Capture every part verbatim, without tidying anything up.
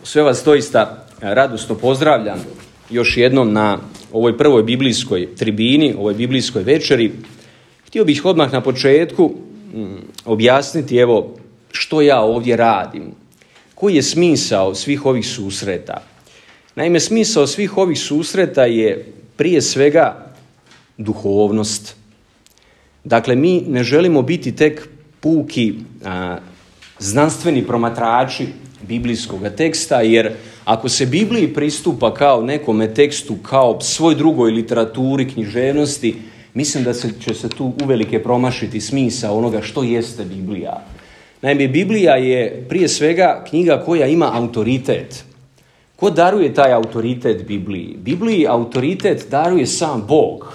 Sve vas doista radosno pozdravljam još jednom na ovoj prvoj biblijskoj tribini, ovoj biblijskoj večeri. Htio bih odmah na početku objasniti evo što ja ovdje radim. Koji je smisao svih ovih susreta? Naime, smisao svih ovih susreta je prije svega duhovnost. Dakle, mi ne želimo biti tek puki a, znanstveni promatrači biblijskog teksta, jer ako se Bibliji pristupa kao nekome tekstu, kao svoj drugoj literaturi, književnosti, mislim da se, će se tu uvelike promašiti smisao onoga što jeste Biblija. Naime, Biblija je prije svega knjiga koja ima autoritet. Ko daruje taj autoritet Bibliji? Bibliji autoritet daruje sam Bog.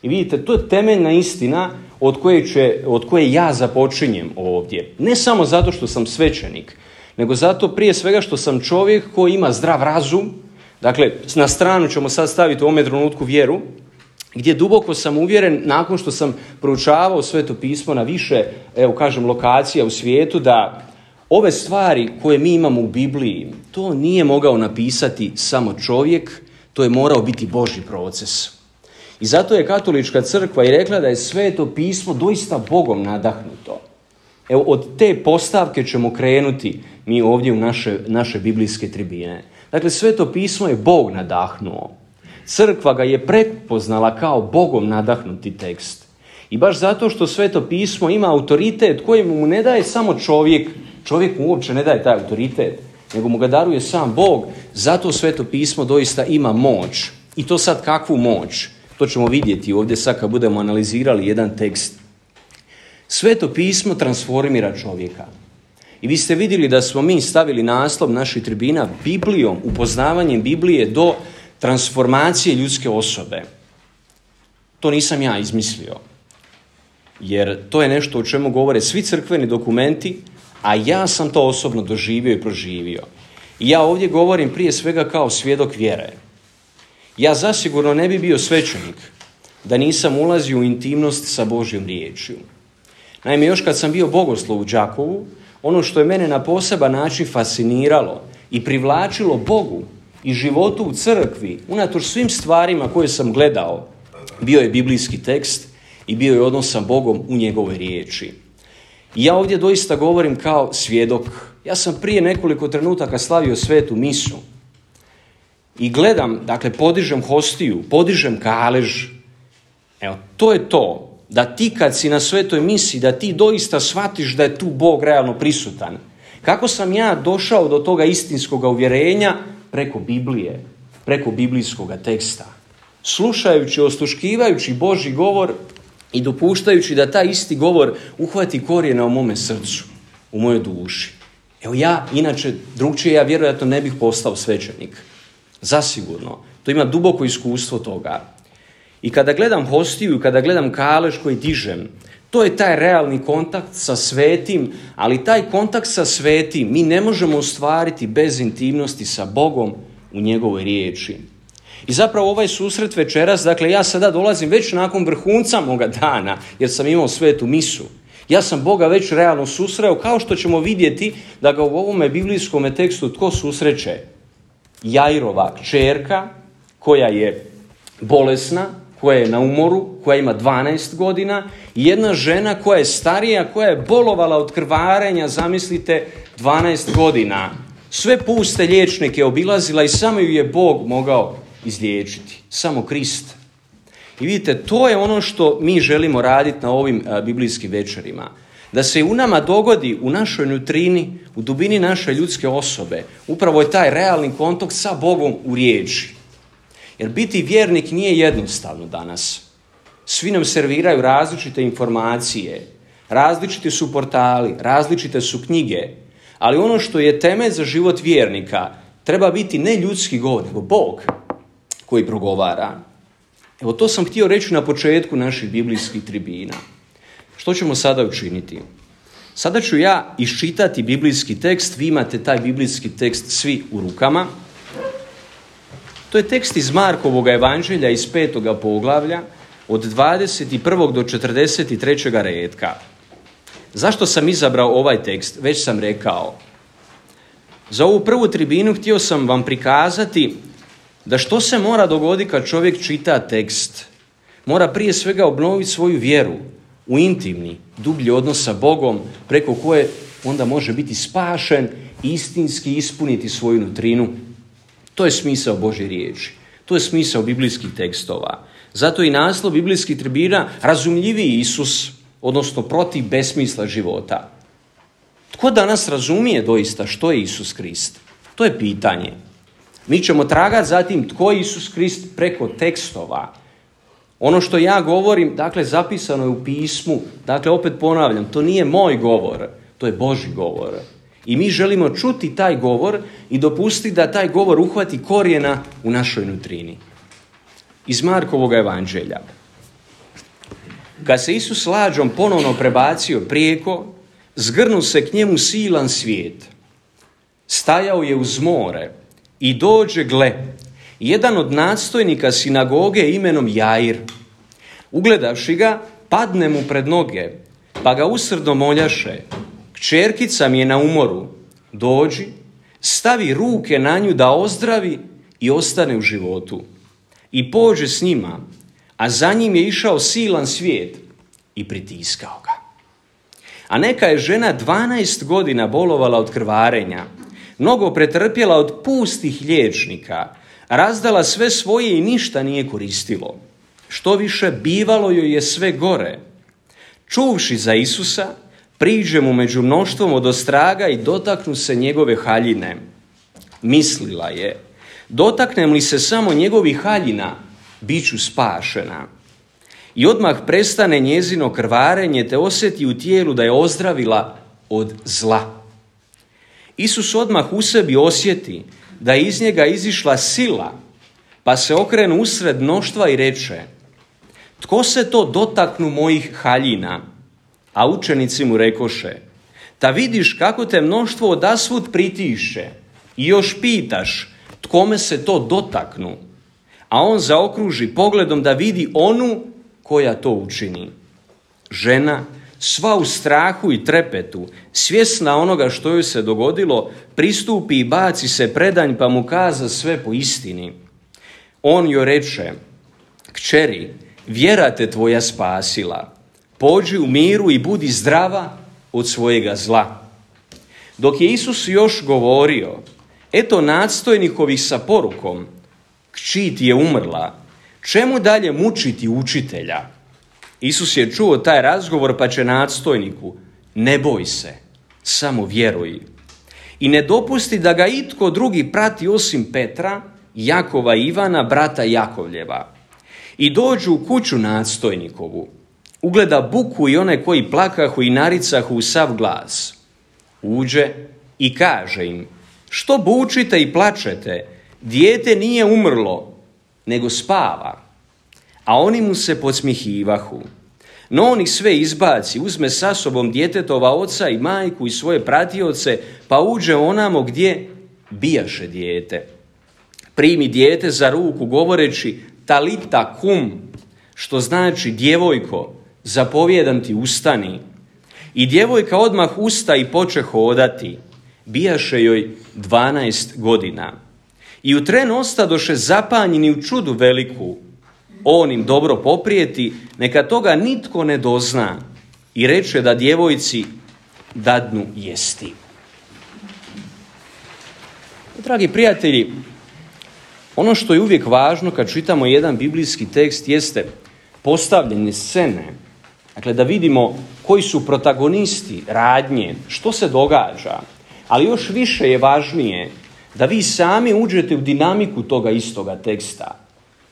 I vidite, to je temeljna istina od koje, će, od koje ja započinjem ovdje. Ne samo zato što sam svećenik, nego zato prije svega što sam čovjek koji ima zdrav razum. Dakle, na stranu ćemo sad staviti u ovome trenutku vjeru, gdje duboko sam uvjeren, nakon što sam proučavao Sveto pismo na više, evo kažem, lokacija u svijetu, da ove stvari koje mi imamo u Bibliji, to nije mogao napisati samo čovjek, to je morao biti Božji proces. I zato je Katolička crkva i rekla da je Sveto pismo doista Bogom nadahnuto. Evo, od te postavke ćemo krenuti mi ovdje u naše, naše biblijske tribine. Dakle, Sveto pismo je Bog nadahnuo. Crkva ga je prepoznala kao Bogom nadahnuti tekst. I baš zato što Sveto pismo ima autoritet koji mu ne daje samo čovjek, čovjek mu uopće ne daje taj autoritet, nego mu ga daruje sam Bog, zato Sveto pismo doista ima moć. I to sad kakvu moć? To ćemo vidjeti ovdje sad kad budemo analizirali jedan tekst. Sveto pismo transformira čovjeka. I vi ste vidjeli da smo mi stavili naslov naših tribina Biblijom, upoznavanjem Biblije do transformacije ljudske osobe. To nisam ja izmislio. Jer to je nešto o čemu govore svi crkveni dokumenti, a ja sam to osobno doživio i proživio. I ja ovdje govorim prije svega kao svjedok vjere. Ja zasigurno ne bi bio svećenik da nisam ulazio u intimnost sa Božjom riječju. Naime, još kad sam bio bogoslov u Đakovu, ono što je mene na poseban način fasciniralo i privlačilo Bogu i životu u crkvi, unatoč svim stvarima koje sam gledao, bio je biblijski tekst i bio je odnos sa Bogom u njegovoj riječi. I ja ovdje doista govorim kao svjedok. Ja sam prije nekoliko trenutaka slavio svetu misu i gledam, dakle, podižem hostiju, podižem kalež. Evo, to je to. Da ti kad si na svetoj misi, da ti doista shvatiš da je tu Bog realno prisutan. Kako sam ja došao do toga istinskog uvjerenja? Preko Biblije, preko biblijskog teksta. Slušajući, osluškivajući Božji govor i dopuštajući da taj isti govor uhvati korijena u mome srcu, u mojoj duši. Evo ja, inače, drugčije, ja vjerojatno ne bih postao svećenik. Zasigurno. To ima duboko iskustvo toga. I kada gledam hostiju i kada gledam kalež koji dižem, to je taj realni kontakt sa svetim, ali taj kontakt sa svetim mi ne možemo ostvariti bez intimnosti sa Bogom u njegovoj riječi. I zapravo ovaj susret večeras, dakle ja sada dolazim već nakon vrhunca moga dana, jer sam imao svetu misu. Ja sam Boga već realno susreo, kao što ćemo vidjeti da ga u ovome biblijskom tekstu tko susreće? Jairova kćerka koja je bolesna, koja je na umoru, koja ima dvanaest godina, i jedna žena koja je starija, koja je bolovala od krvarenja, zamislite, dvanaest godina. Sve puste liječnike obilazila i samo ju je Bog mogao izliječiti. Samo Krist. I vidite, to je ono što mi želimo raditi na ovim a, biblijskim večerima. Da se u nama dogodi, u našoj nutrini, u dubini naše ljudske osobe, upravo je taj realni kontakt sa Bogom u riječi. Jer biti vjernik nije jednostavno danas. Svi nam serviraju različite informacije, različiti su portali, različite su knjige, ali ono što je temelj za život vjernika treba biti ne ljudski govor, nego Bog koji progovara. Evo, to sam htio reći na početku naših biblijskih tribina. Što ćemo sada učiniti? Sada ću ja iščitati biblijski tekst, vi imate taj biblijski tekst svi u rukama. To je tekst iz Markovog evanđelja iz petoga poglavlja od dvadeset prvog do četrdeset trećeg redka. Zašto sam izabrao ovaj tekst? Već sam rekao. Za ovu prvu tribinu htio sam vam prikazati da što se mora dogoditi kad čovjek čita tekst. Mora prije svega obnoviti svoju vjeru u intimni, dublji odnos sa Bogom, preko koje onda može biti spašen i istinski ispuniti svoju nutrinu. To je smisao Božje riječi. To je smisao biblijskih tekstova. Zato i naslov biblijskih tribina razumljiviji Isus, odnosno protiv besmisla života. Tko danas razumije doista što je Isus Krist? To je pitanje. Mi ćemo tragati za tim tko je Isus Krist preko tekstova. Ono što ja govorim, dakle, zapisano je u pismu. Dakle, opet ponavljam, to nije moj govor, to je Božji govor. I mi želimo čuti taj govor i dopustiti da taj govor uhvati korijena u našoj nutrini. Iz Markovog evanđelja. Kad se Isus lađom ponovno prebacio prijeko, zgrnu se k njemu silan svijet. Stajao je uz more i dođe, gle, jedan od nadstojnika sinagoge imenom Jair. Ugledavši ga, padne mu pred noge, pa ga usrdno moljaše: kćerkica mi je na umoru, dođi, stavi ruke na nju da ozdravi i ostane u životu. I pođe s njima, a za njim je išao silan svijet i pritiskao ga. A neka je žena dvanaest godina bolovala od krvarenja, mnogo pretrpjela od pustih liječnika, razdala sve svoje i ništa nije koristilo. Što više, bivalo joj je sve gore. Čuvši za Isusa, priđe mu među mnoštvom odostraga i dotaknu se njegove haljine. Mislila je: dotaknem li se samo njegovih haljina, bit ću spašena. I odmah prestane njezino krvarenje, te osjeti u tijelu da je ozdravila od zla. Isus odmah u sebi osjeti da je iz njega izišla sila, pa se okrenu usred mnoštva i reče: tko se to dotaknu mojih haljina? A učenici mu rekoše: ta vidiš kako te mnoštvo odasvud pritišće i još pitaš tkome se to dotaknu. A on zaokruži pogledom da vidi onu koja to učini. Žena, sva u strahu i trepetu, svjesna onoga što joj se dogodilo, pristupi i baci se predanj, pa mu kaza sve po istini. On joj reče: kćeri, vjera te tvoja spasila. Pođi u miru i budi zdrava od svojega zla. Dok je Isus još govorio, eto nadstojnikovih sa porukom: kći ti je umrla, čemu dalje mučiti učitelja? Isus je čuo taj razgovor, pa će nadstojniku: ne boj se, samo vjeruj. I ne dopusti da ga itko drugi prati osim Petra, Jakova i Ivana, brata Jakovljeva. I dođu u kuću nadstojnikovu. Ugleda buku i one koji plakahu i naricahu u sav glas. Uđe i kaže im: što bučite i plačete? Dijete nije umrlo, nego spava. A oni mu se podsmihivahu. No on ih sve izbaci, uzme sa sobom djetetova oca i majku i svoje pratioce, pa uđe onamo gdje bijaše dijete. Primi dijete za ruku govoreći: talita kum, što znači djevojko, zapovijedam ti, ustani. I djevojka odmah usta i poče hodati. Bijaše joj dvanaest godina. I u tren ostadoše zapanjeni u čudu veliku. On im dobro poprijeti, neka toga nitko ne dozna, i reče da djevojci dadnu jesti. Dragi prijatelji, ono što je uvijek važno kad čitamo jedan biblijski tekst jeste postavljanje scene. Dakle, da vidimo koji su protagonisti radnje, što se događa. Ali još više je važnije da vi sami uđete u dinamiku toga istoga teksta.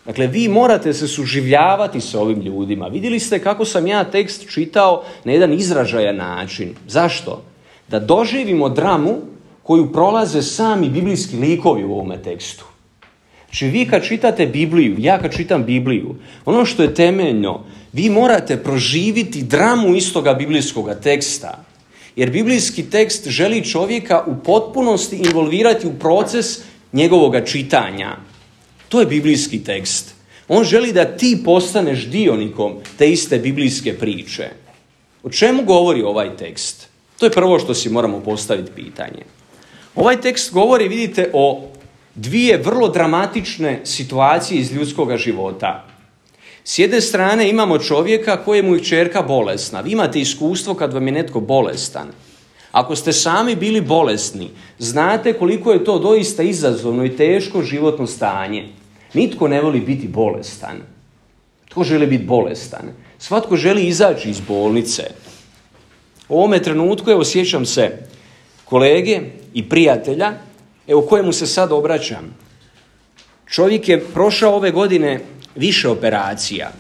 Dakle, vi morate se suživljavati sa ovim ljudima. Vidjeli ste kako sam ja tekst čitao na jedan izražajan način. Zašto? Da doživimo dramu koju prolaze sami biblijski likovi u ovome tekstu. Znači, vi kad čitate Bibliju, ja kad čitam Bibliju, ono što je temeljno, vi morate proživiti dramu istoga biblijskoga teksta. Jer biblijski tekst želi čovjeka u potpunosti involvirati u proces njegovoga čitanja. To je biblijski tekst. On želi da ti postaneš dionikom te iste biblijske priče. O čemu govori ovaj tekst? To je prvo što si moramo postaviti pitanje. Ovaj tekst govori, vidite, o dvije vrlo dramatične situacije iz ljudskog života. S jedne strane imamo čovjeka kojemu je kćerka bolesna. Vi imate iskustvo kad vam je netko bolestan. Ako ste sami bili bolesni, znate koliko je to doista izazovno i teško životno stanje. Nitko ne voli biti bolestan. Tko želi biti bolestan? Svatko želi izaći iz bolnice. U ovome trenutku, evo, sjećam se kolege i prijatelja, evo, kojemu se sad obraćam. Čovjek je prošao ove godine više operacija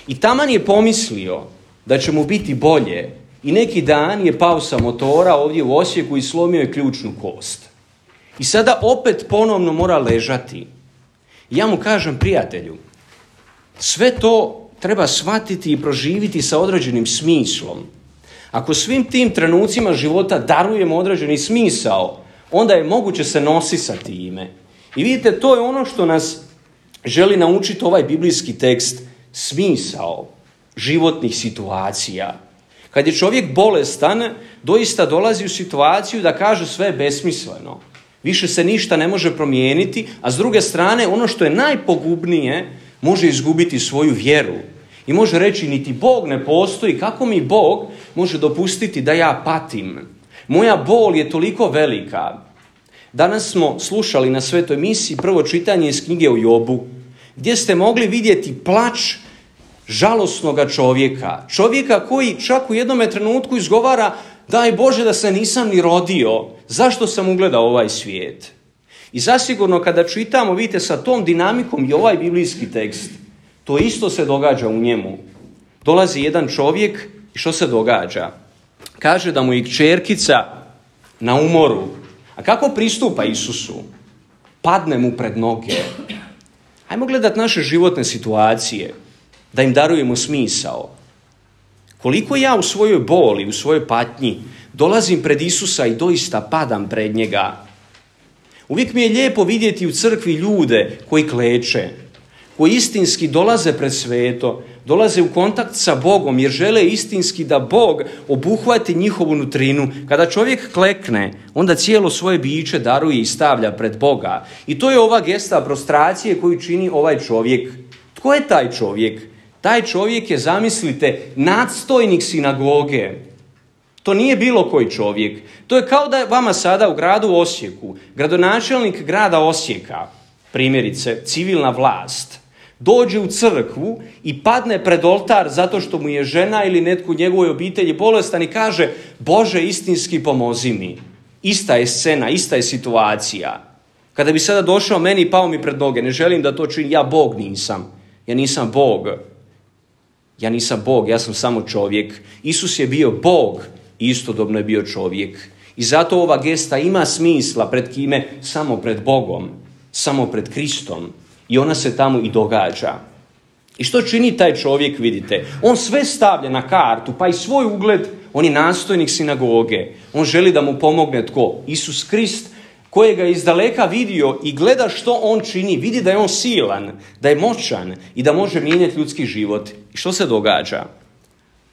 i taman je pomislio da će mu biti bolje i neki dan je pao sa motora ovdje u Osijeku i slomio je ključnu kost. I sada opet ponovno mora ležati. Ja mu kažem, prijatelju, sve to treba shvatiti i proživiti sa određenim smislom. Ako svim tim trenucima života darujemo određeni smisao, onda je moguće se nositi sa time. I vidite, to je ono što nas želi naučiti ovaj biblijski tekst, smisao životnih situacija. Kad je čovjek bolestan, doista dolazi u situaciju da kaže sve je besmisleno. Više se ništa ne može promijeniti, a s druge strane, ono što je najpogubnije, može izgubiti svoju vjeru. I može reći, niti Bog ne postoji, kako mi Bog može dopustiti da ja patim? Moja bol je toliko velika. Danas smo slušali na svetoj misiji prvo čitanje iz knjige o Jobu, gdje ste mogli vidjeti plač žalosnoga čovjeka. Čovjeka koji čak u jednom trenutku izgovara, daj Bože da se nisam ni rodio, zašto sam ugledao ovaj svijet? I zasigurno kada čitamo, vidite, sa tom dinamikom i ovaj biblijski tekst, to isto se događa u njemu. Dolazi jedan čovjek i što se događa? Kaže da mu je kćerkica na umoru. A kako pristupa Isusu? Padne mu pred noge. Hajmo gledati naše životne situacije, da im darujemo smisao. Koliko ja u svojoj boli, u svojoj patnji dolazim pred Isusa i doista padam pred njega. Uvijek mi je lijepo vidjeti u crkvi ljude koji kleče, koji istinski dolaze pred sveto, dolaze u kontakt sa Bogom jer žele istinski da Bog obuhvati njihovu nutrinu. Kada čovjek klekne, onda cijelo svoje biće daruje i stavlja pred Boga. I to je ova gesta prostracije koju čini ovaj čovjek. Tko je taj čovjek? Taj čovjek je, zamislite, nadstojnik sinagoge. To nije bilo koji čovjek. To je kao da je vama sada u gradu Osijeku, gradonačelnik grada Osijeka, primjerice civilna vlast, dođe u crkvu i padne pred oltar zato što mu je žena ili netko u njegovoj obitelji bolestan i kaže, Bože, istinski pomozi mi. Ista je scena, ista je situacija. Kada bi sada došao meni i pao mi pred noge, ne želim da to činim, ja Bog nisam. Ja nisam Bog. Ja nisam Bog, ja sam samo čovjek. Isus je bio Bog i istodobno je bio čovjek. I zato ova gesta ima smisla pred kime? Samo pred Bogom, samo pred Kristom. I ona se tamo i događa. I što čini taj čovjek, vidite? On sve stavlja na kartu, pa i svoj ugled, on je nastojnik sinagoge. On želi da mu pomogne tko? Isus Krist, kojega je izdaleka vidio i gleda što on čini. Vidi da je on silan, da je moćan i da može mijenjati ljudski život. I što se događa?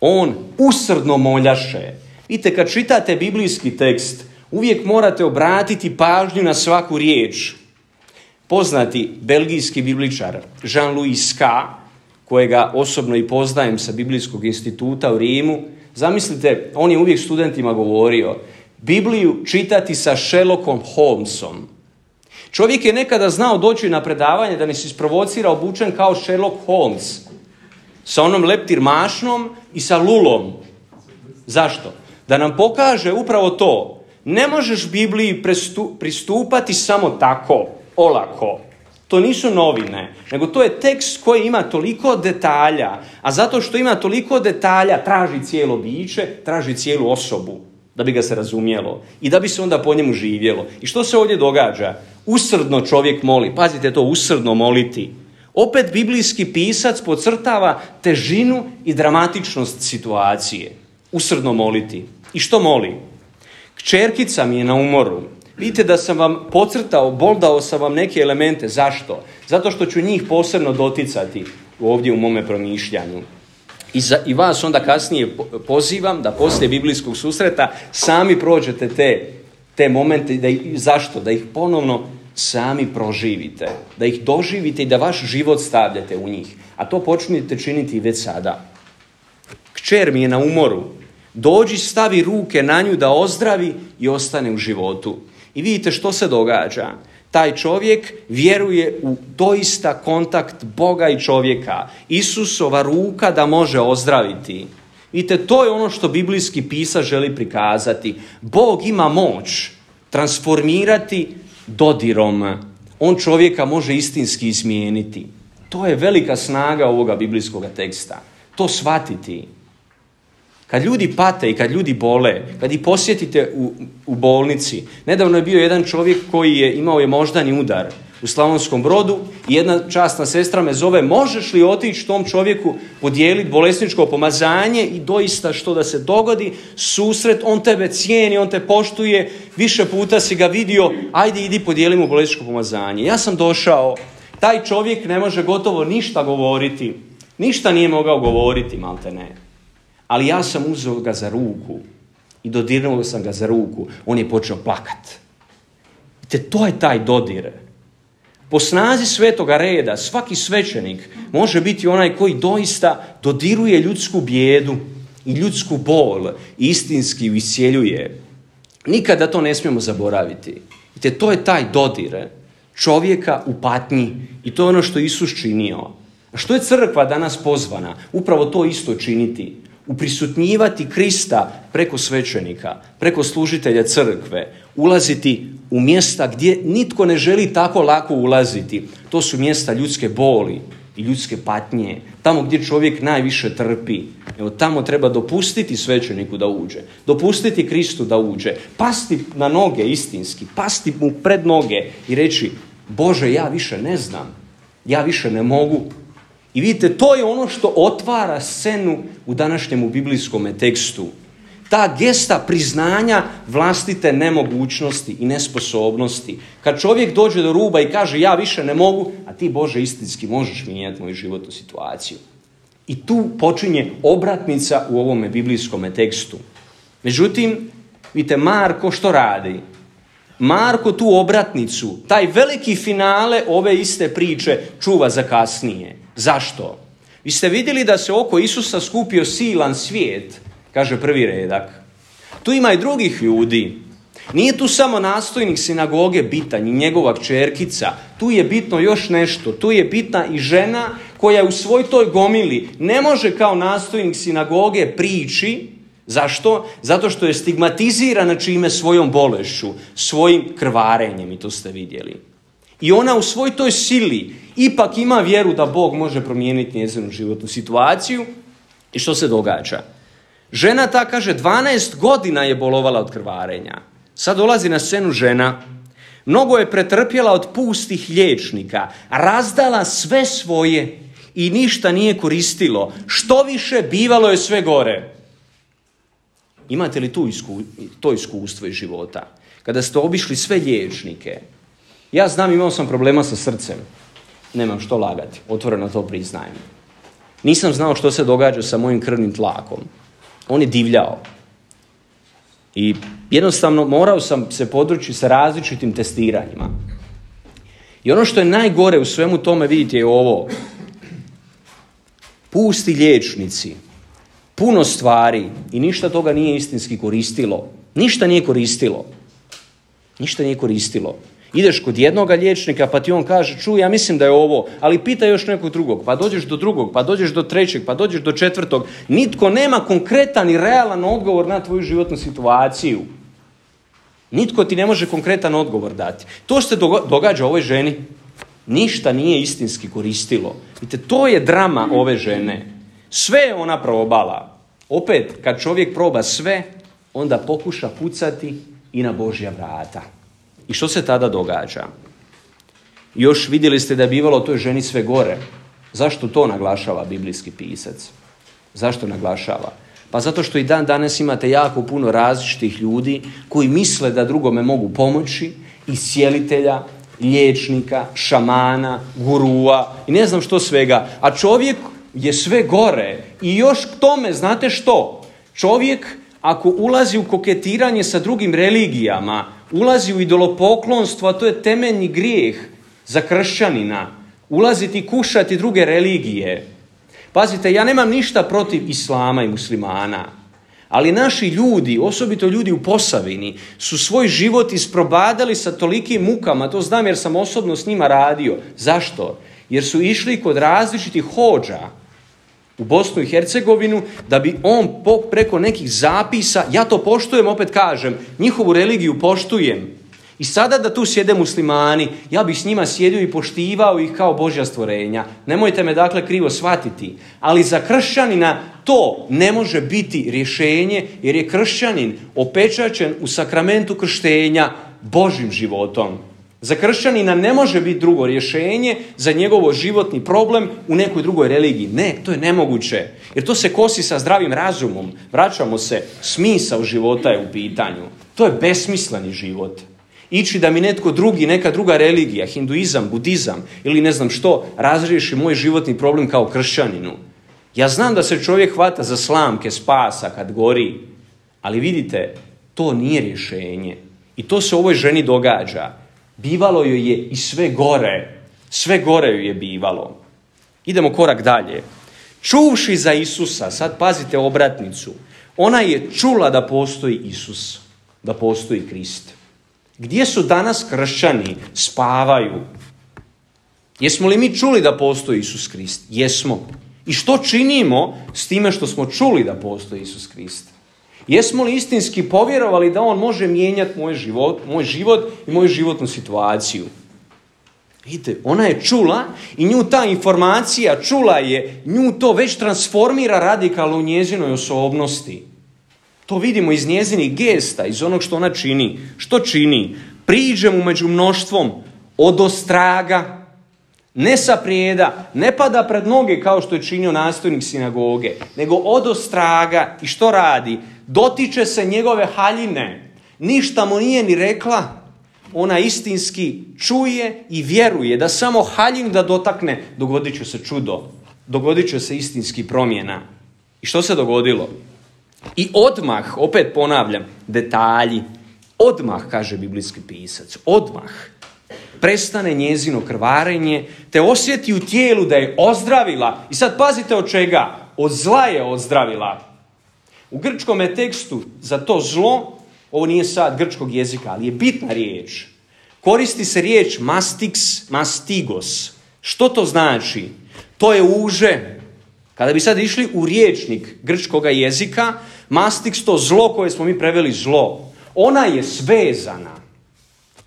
On usrdno moljaše. Vidite, kad čitate biblijski tekst, uvijek morate obratiti pažnju na svaku riječ. Poznati belgijski bibličar Jean-Louis Ska, kojega osobno i poznajem sa Biblijskog instituta u Rimu, zamislite, on je uvijek studentima govorio, Bibliju čitati sa Sherlockom Holmesom. Čovjek je nekada znao doći na predavanje da nas isprovocira obučen kao Sherlock Holmes, sa onom leptir mašnom i sa lulom. Zašto? Da nam pokaže upravo to. Ne možeš Bibliji pristupati samo tako, olako. To nisu novine, nego to je tekst koji ima toliko detalja, a zato što ima toliko detalja traži cijelo biće, traži cijelu osobu, da bi ga se razumjelo i da bi se onda po njemu živjelo. I što se ovdje događa? Usrdno čovjek moli. Pazite to, usrdno moliti. Opet biblijski pisac podcrtava težinu i dramatičnost situacije. Usrdno moliti. I što moli? Kćerkica mi je na umoru. Vidite da sam vam podcrtao, boldao sam vam neke elemente. Zašto? Zato što ću njih posebno doticati ovdje u mome promišljanju. I, za, I vas onda kasnije pozivam da poslije biblijskog susreta sami prođete te te momente, da ih, zašto? Da ih ponovno sami proživite, da ih doživite i da vaš život stavljate u njih. A to počnite činiti već sada. Kćer mi je na umoru, dođi, stavi ruke na nju da ozdravi i ostane u životu. I vidite što se događa. Taj čovjek vjeruje u doista kontakt Boga i čovjeka. Isusova ruka da može ozdraviti. Vidite, to je ono što biblijski pisac želi prikazati. Bog ima moć transformirati dodirom. On čovjeka može istinski izmijeniti. To je velika snaga ovoga biblijskog teksta. To shvatiti. Kad ljudi pate i kad ljudi bole, kad ih posjetite u, u bolnici, nedavno je bio jedan čovjek koji je imao je moždani udar u Slavonskom Brodu i jedna časna sestra me zove, možeš li otići tom čovjeku podijeliti bolesničko pomazanje i doista što da se dogodi, susret, on tebe cijeni, on te poštuje, više puta si ga vidio, ajde idi podijeli mu bolesničko pomazanje. Ja sam došao, taj čovjek ne može gotovo ništa govoriti, ništa nije mogao govoriti, malte ne. Ali ja sam uzeo ga za ruku i dodirnuo sam ga za ruku. On je počeo plakat. Te to je taj dodir. Po snazi svetoga reda svaki svećenik može biti onaj koji doista dodiruje ljudsku bijedu i ljudsku bol i istinski ju iscijeljuje. Nikada to ne smijemo zaboraviti. Te to je taj dodir čovjeka u patnji i to je ono što Isus činio. A što je crkva danas pozvana? Upravo to isto činiti. Uprisutnjivati Krista preko svećenika, preko služitelja crkve, ulaziti u mjesta gdje nitko ne želi tako lako ulaziti. To su mjesta ljudske boli i ljudske patnje, tamo gdje čovjek najviše trpi. Evo, tamo treba dopustiti svećeniku da uđe, dopustiti Kristu da uđe, pasti na noge istinski, pasti mu pred noge i reći, Bože, ja više ne znam, ja više ne mogu. I vidite, to je ono što otvara scenu u današnjem biblijskom tekstu. Ta gesta priznanja vlastite nemogućnosti i nesposobnosti. Kad čovjek dođe do ruba i kaže ja više ne mogu, a ti Bože istinski možeš mijenjati moju životnu situaciju. I tu počinje obratnica u ovome biblijskom tekstu. Međutim, vidite, Marko što radi? Marko tu obratnicu, taj veliki finale ove iste priče čuva za kasnije. Zašto? Vi ste vidjeli da se oko Isusa skupio silan svijet, kaže prvi redak. Tu ima i drugih ljudi. Nije tu samo nastojnik sinagoge bitan i njegova kćerkica. Tu je bitno još nešto. Tu je bitna i žena koja u svoj toj gomili ne može kao nastojnik sinagoge prići. Zašto? Zato što je stigmatizirana čime svojom bolešću, svojim krvarenjem, i to ste vidjeli. I ona u svoj toj sili ipak ima vjeru da Bog može promijeniti njezinu životnu situaciju. I što se događa? Žena ta, kaže, dvanaest godina je bolovala od krvarenja. Sad dolazi na scenu žena. Mnogo je pretrpjela od pustih liječnika, razdala sve svoje i ništa nije koristilo. Što više, bivalo je sve gore. Imate li tu isku, to iskustvo iz života? Kada ste obišli sve liječnike. Ja znam, imao sam problema sa srcem. Nemam što lagati, otvoreno to priznajem. Nisam znao što se događa sa mojim krvnim tlakom. On je divljao. I jednostavno morao sam se područiti sa različitim testiranjima. I ono što je najgore u svemu tome, vidite, je ovo. Pusti liječnici, puno stvari i ništa toga nije istinski koristilo. Ništa nije koristilo. Ništa nije koristilo. Ideš kod jednoga liječnika pa ti on kaže, čuj, ja mislim da je ovo, ali pita još nekog drugog, pa dođeš do drugog, pa dođeš do trećeg, pa dođeš do četvrtog. Nitko nema konkretan i realan odgovor na tvoju životnu situaciju. Nitko ti ne može konkretan odgovor dati. To što se događa ovoj ženi, ništa nije istinski koristilo. Vidite, to je drama ove žene. Sve je ona probala. Opet, kad čovjek proba sve, onda pokuša pucati i na Božja vrata. I što se tada događa? Još vidjeli ste da je bivalo toj ženi sve gore. Zašto to naglašava biblijski pisac? Zašto naglašava? Pa zato što i dan danas imate jako puno različitih ljudi koji misle da drugome mogu pomoći, iscijelitelja, liječnika, šamana, gurua i ne znam što svega. A čovjek je sve gore. I još k tome, znate što? Čovjek, ako ulazi u koketiranje sa drugim religijama, ulazi u idolopoklonstvo, a to je temeljni grijeh za kršćanina. Ulaziti, kušati druge religije. Pazite, ja nemam ništa protiv islama i muslimana, ali naši ljudi, osobito ljudi u Posavini, su svoj život isprobadali sa tolikim mukama, to znam jer sam osobno s njima radio. Zašto? Jer su išli kod različitih hodža u Bosnu i Hercegovinu, da bi on preko nekih zapisa, ja to poštujem, opet kažem, njihovu religiju poštujem. I sada da tu sjede muslimani, ja bih s njima sjedio i poštivao ih kao Božja stvorenja. Nemojte me dakle krivo shvatiti. Ali za kršćanina to ne može biti rješenje, jer je kršćanin opečaćen u sakramentu krštenja Božjim životom. Za kršćanina ne može biti drugo rješenje za njegovo životni problem u nekoj drugoj religiji. Ne, to je nemoguće. Jer to se kosi sa zdravim razumom. Vraćamo se, smisao života je u pitanju. To je besmisleni život. Ići da mi netko drugi, neka druga religija, hinduizam, budizam ili ne znam što, razriješi moj životni problem kao kršćaninu. Ja znam da se čovjek hvata za slamke spasa kad gori, ali vidite, to nije rješenje. I to se ovoj ženi događa. Bivalo joj je i sve gore. Sve gore joj je bivalo. Idemo korak dalje. Čuvši za Isusa, sad pazite obratnicu, ona je čula da postoji Isus, da postoji Krist. Gdje su danas kršćani? Spavaju. Jesmo li mi čuli da postoji Isus Krist? Jesmo. I što činimo s time što smo čuli da postoji Isus Krist? Jesmo li istinski povjerovali da on može mijenjati moj život, moj život i moju životnu situaciju? Vidite, ona je čula i nju ta informacija, čula je, nju to već transformira radikalno u njezinoj osobnosti. To vidimo iz njezinih gesta, iz onog što ona čini. Što čini? Priđe mu među mnoštvom, odostraga, ne saprijeda, ne pada pred noge kao što je činio nastojnik sinagoge, nego odostraga. I što radi? Dotiče se njegove haljine. Ništa mu nije ni rekla. Ona istinski čuje i vjeruje da samo haljinu da dotakne, dogodit će se čudo. Dogodit će se istinski promjena. I što se dogodilo? I odmah, opet ponavljam, detalji, odmah, kaže biblijski pisac, odmah prestane njezino krvarenje, te osjeti u tijelu da je ozdravila. I sad pazite od čega? Od zla je ozdravila. U grčkom tekstu za to zlo, ovo nije sad grčkog jezika, ali je bitna riječ. Koristi se riječ mastix, mastigos. Što to znači? To je uže. Kada bi sad išli u riječnik grčkog jezika, mastix, to zlo koje smo mi preveli zlo, ona je svezana.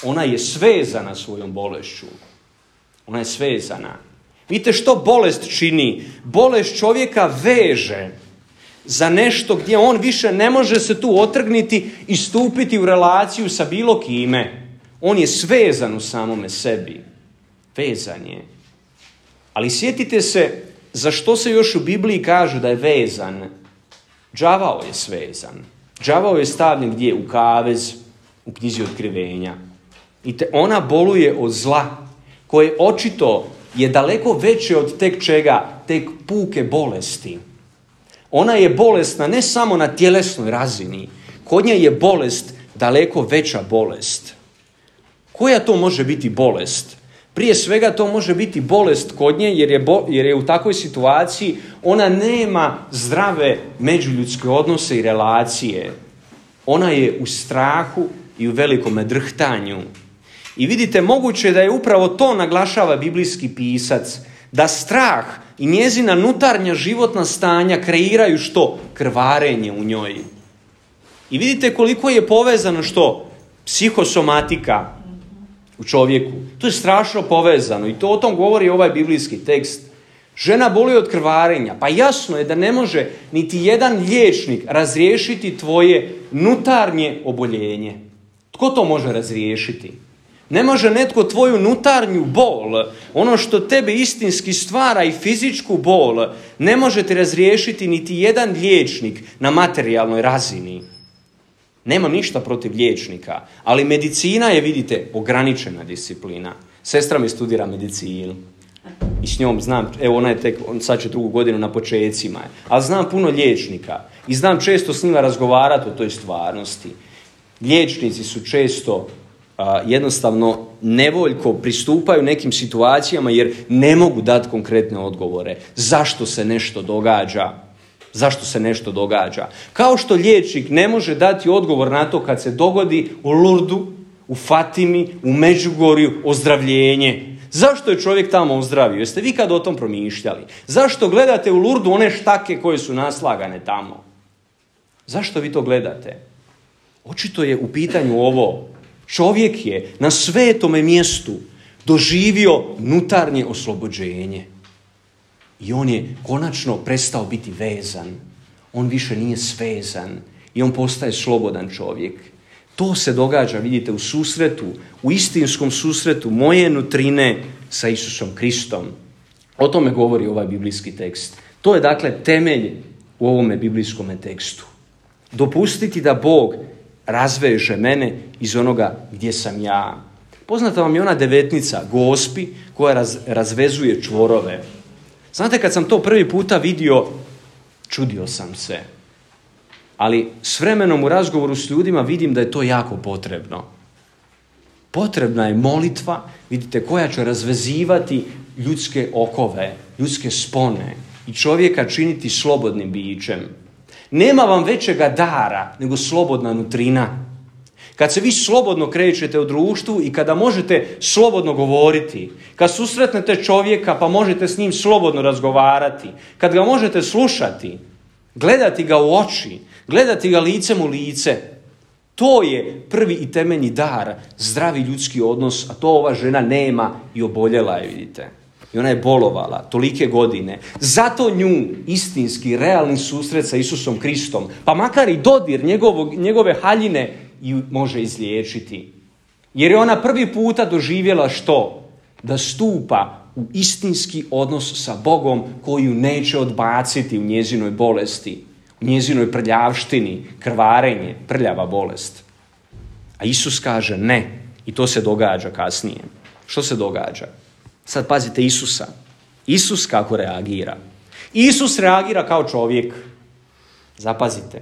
Ona je svezana svojom bolešću. Ona je svezana. Vidite što bolest čini? Bolest čovjeka veže za nešto gdje on više ne može se tu otrgniti i stupiti u relaciju sa bilo kime. On je svezan u samome sebi. Vezan je. Ali sjetite se za što se još u Bibliji kaže da je vezan. Đavao je svezan. Đavao je stavljen gdje? U kavez, u knjizi Otkrivenja. I te ona boluje od zla, koje očito je daleko veće od tek čega, tek puke bolesti. Ona je bolesna ne samo na tjelesnoj razini. Kod nje je bolest daleko veća bolest. Koja to može biti bolest? Prije svega to može biti bolest kod nje jer je, bo, jer je u takvoj situaciji ona nema zdrave međuljudske odnose i relacije. Ona je u strahu i u velikome drhtanju. I vidite, moguće da je upravo to naglašava biblijski pisac, da strah i njezina unutarnja životna stanja kreiraju što? Krvarenje u njoj. I vidite koliko je povezano što? Psihosomatika u čovjeku. To je strašno povezano i to o tom govori ovaj biblijski tekst. Žena boli od krvarenja. Pa jasno je da ne može niti jedan liječnik razriješiti tvoje unutarnje oboljenje. Tko to može razriješiti? Ne može netko tvoju unutarnju bol, ono što tebe istinski stvara i fizičku bol, ne može ti razriješiti niti jedan liječnik na materijalnoj razini. Nemam ništa protiv liječnika, ali medicina je, vidite, ograničena disciplina. Sestra mi studira medicinu i s njom znam, evo ona je tek, sad će drugu godinu na počecima, ali znam puno liječnika i znam često s njima razgovarati o toj stvarnosti. Liječnici su često a, jednostavno nevoljko pristupaju nekim situacijama jer ne mogu dati konkretne odgovore. Zašto se nešto događa? Zašto se nešto događa? Kao što liječnik ne može dati odgovor na to kad se dogodi u Lurdu, u Fatimi, u Međugorju ozdravljenje. Zašto je čovjek tamo ozdravio? Jeste vi kad o tom promišljali? Zašto gledate u Lurdu one štake koje su naslagane tamo? Zašto vi to gledate? Očito je u pitanju ovo. Čovjek je na svetome mjestu doživio unutarnje oslobođenje. I on je konačno prestao biti vezan. On više nije svezan. I on postaje slobodan čovjek. To se događa, vidite, u susretu, u istinskom susretu moje nutrine sa Isusom Kristom. O tome govori ovaj biblijski tekst. To je dakle temelj u ovome biblijskome tekstu. Dopustiti da Bog razveže mene iz onoga gdje sam ja. Poznata vam je ona devetnica, Gospi, koja raz, razvezuje čvorove. Znate, kad sam to prvi puta vidio, čudio sam se. Ali s vremenom u razgovoru s ljudima vidim da je to jako potrebno. Potrebna je molitva, vidite, koja će razvezivati ljudske okove, ljudske spone i čovjeka činiti slobodnim bićem. Nema vam većega dara nego slobodna nutrina. Kad se vi slobodno krećete u društvu i kada možete slobodno govoriti, kad susretnete čovjeka pa možete s njim slobodno razgovarati, kad ga možete slušati, gledati ga u oči, gledati ga licem u lice, to je prvi i temeljni dar, zdravi ljudski odnos, a to ova žena nema i oboljela je, vidite. I ona je bolovala tolike godine. Zato nju istinski, realni susret sa Isusom Kristom, pa makar i dodir njegovog, njegove haljine, ju može izliječiti. Jer je ona prvi puta doživjela što? Da stupa u istinski odnos sa Bogom koji ju neće odbaciti u njezinoj bolesti, u njezinoj prljavštini, krvarenje, prljava bolest. A Isus kaže ne. I to se događa kasnije. Što se događa? Sad pazite Isusa. Isus kako reagira? Isus reagira kao čovjek. Zapazite.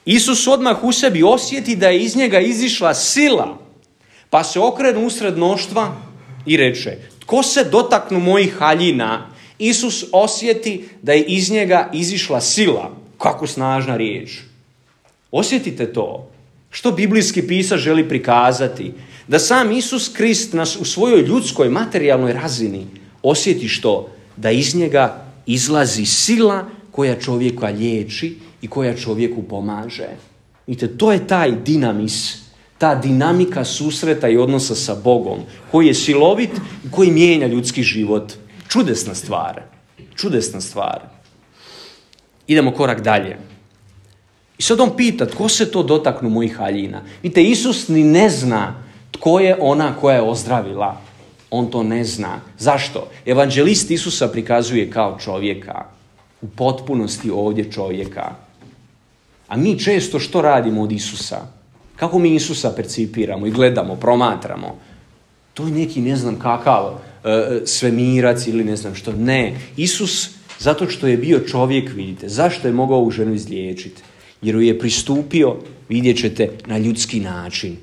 Isus odmah u sebi osjeti da je iz njega izišla sila, pa se okrene usred mnoštva i reče, tko se dotaknu mojih haljina? Isus osjeti da je iz njega izišla sila. Kako snažna riječ. Osjetite to. Što biblijski pisac želi prikazati? Da sam Isus Krist nas u svojoj ljudskoj, materijalnoj razini osjeti što? Da iz njega izlazi sila koja čovjeka liječi i koja čovjeku pomaže. Vidite, to je taj dinamis, ta dinamika susreta i odnosa sa Bogom, koji je silovit i koji mijenja ljudski život. Čudesna stvar. Čudesna stvar. Idemo korak dalje. I sad on pita, tko se to dotaknu mojih haljina? Vidite, Isus ni ne zna tko je ona koja je ozdravila. On to ne zna. Zašto? Evanđelist Isusa prikazuje kao čovjeka. U potpunosti ovdje čovjeka. A mi često što radimo od Isusa? Kako mi Isusa percipiramo i gledamo, promatramo? To je neki ne znam kakav e, svemirac ili ne znam što. Ne. Isus, zato što je bio čovjek, vidite, zašto je mogao ovu ženu izliječiti? Jer ju je pristupio, vidjet ćete, na ljudski način.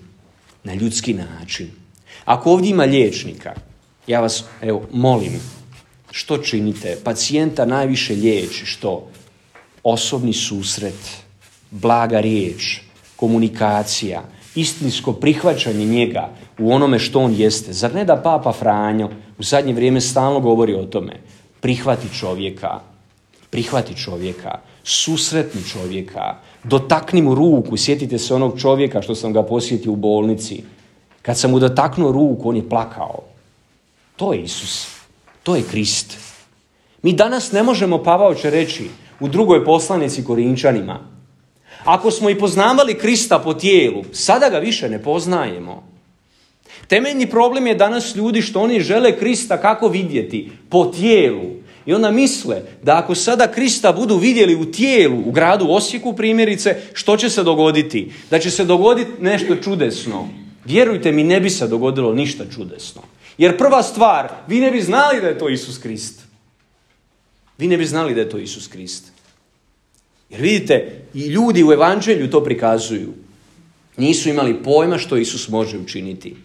Na ljudski način. Ako ovdje ima liječnika, ja vas, evo, molim, što činite? Pacijenta najviše liječi što? Osobni susret, blaga riječ, komunikacija, istinsko prihvaćanje njega u onome što on jeste. Zar ne da Papa Franjo u zadnje vrijeme stalno govori o tome? Prihvati čovjeka, prihvati čovjeka, susretni čovjeka, dotakni mu ruku. Sjetite se onog čovjeka što sam ga posjetio u bolnici. Kad sam mu dotaknuo ruku, on je plakao. To je Isus. To je Krist. Mi danas ne možemo, Pavao će reći u drugoj poslanici Korinčanima, ako smo i poznavali Krista po tijelu, sada ga više ne poznajemo. Temeljni problem je danas ljudi što oni žele Krista kako vidjeti? Po tijelu. I onda misle da ako sada Krista budu vidjeli u tijelu, u gradu Osijeku primjerice, što će se dogoditi? Da će se dogoditi nešto čudesno. Vjerujte mi, ne bi se dogodilo ništa čudesno. Jer prva stvar, vi ne bi znali da je to Isus Krist. Vi ne bi znali da je to Isus Krist. Jer vidite, i ljudi u evanđelju to prikazuju. Nisu imali pojma što Isus može učiniti.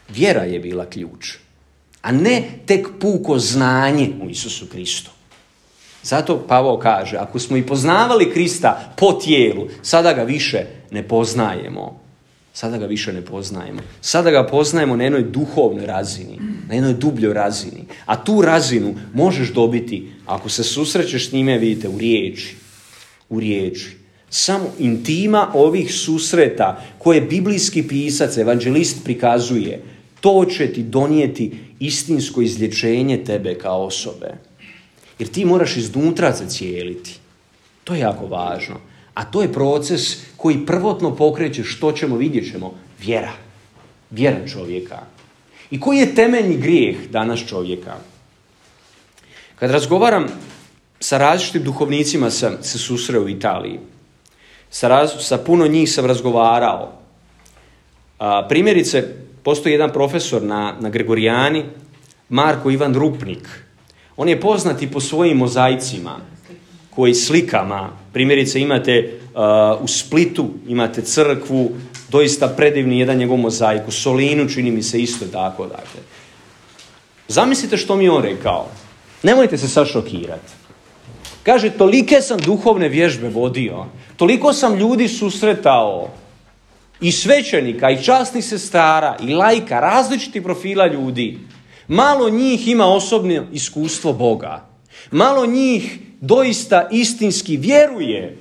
Vjera je bila ključ, a ne tek puko znanje u Isusu Kristu. Zato Pavao kaže, ako smo i poznavali Krista po tijelu, sada ga više ne poznajemo. Sada ga više ne poznajemo. Sada ga poznajemo na jednoj duhovnoj razini, na jednoj dubljoj razini. A tu razinu možeš dobiti, ako se susrećeš s njime, vidite, u riječi. U riječi. Samo intima ovih susreta koje biblijski pisac, evanđelist prikazuje, to će ti donijeti istinsko izlječenje tebe kao osobe. Jer ti moraš iznutra zacijeliti. To je jako važno. A to je proces koji prvotno pokreće, što ćemo, vidjet ćemo, vjera. Vjera čovjeka. I koji je temeljni grijeh danas čovjeka? Kad razgovaram sa različitim duhovnicima, sam se susreo u Italiji. Sa, raz, sa puno njih sam razgovarao. A, primjerice, postoji jedan profesor na, na Gregorijani, Marko Ivan Rupnik. On je poznati po svojim mozaicima, koji slikama, primjerice imate uh, u Splitu, imate crkvu, doista predivni jedan njegov mozaik, u Solinu čini mi se isto tako. Dakle. Zamislite što mi je on rekao. Nemojte se sad šokirati. Kaže, tolike sam duhovne vježbe vodio, toliko sam ljudi susretao, i svećenika, i časnih sestara, i laika, različitih profila ljudi. Malo njih ima osobno iskustvo Boga. Malo njih doista istinski vjeruje.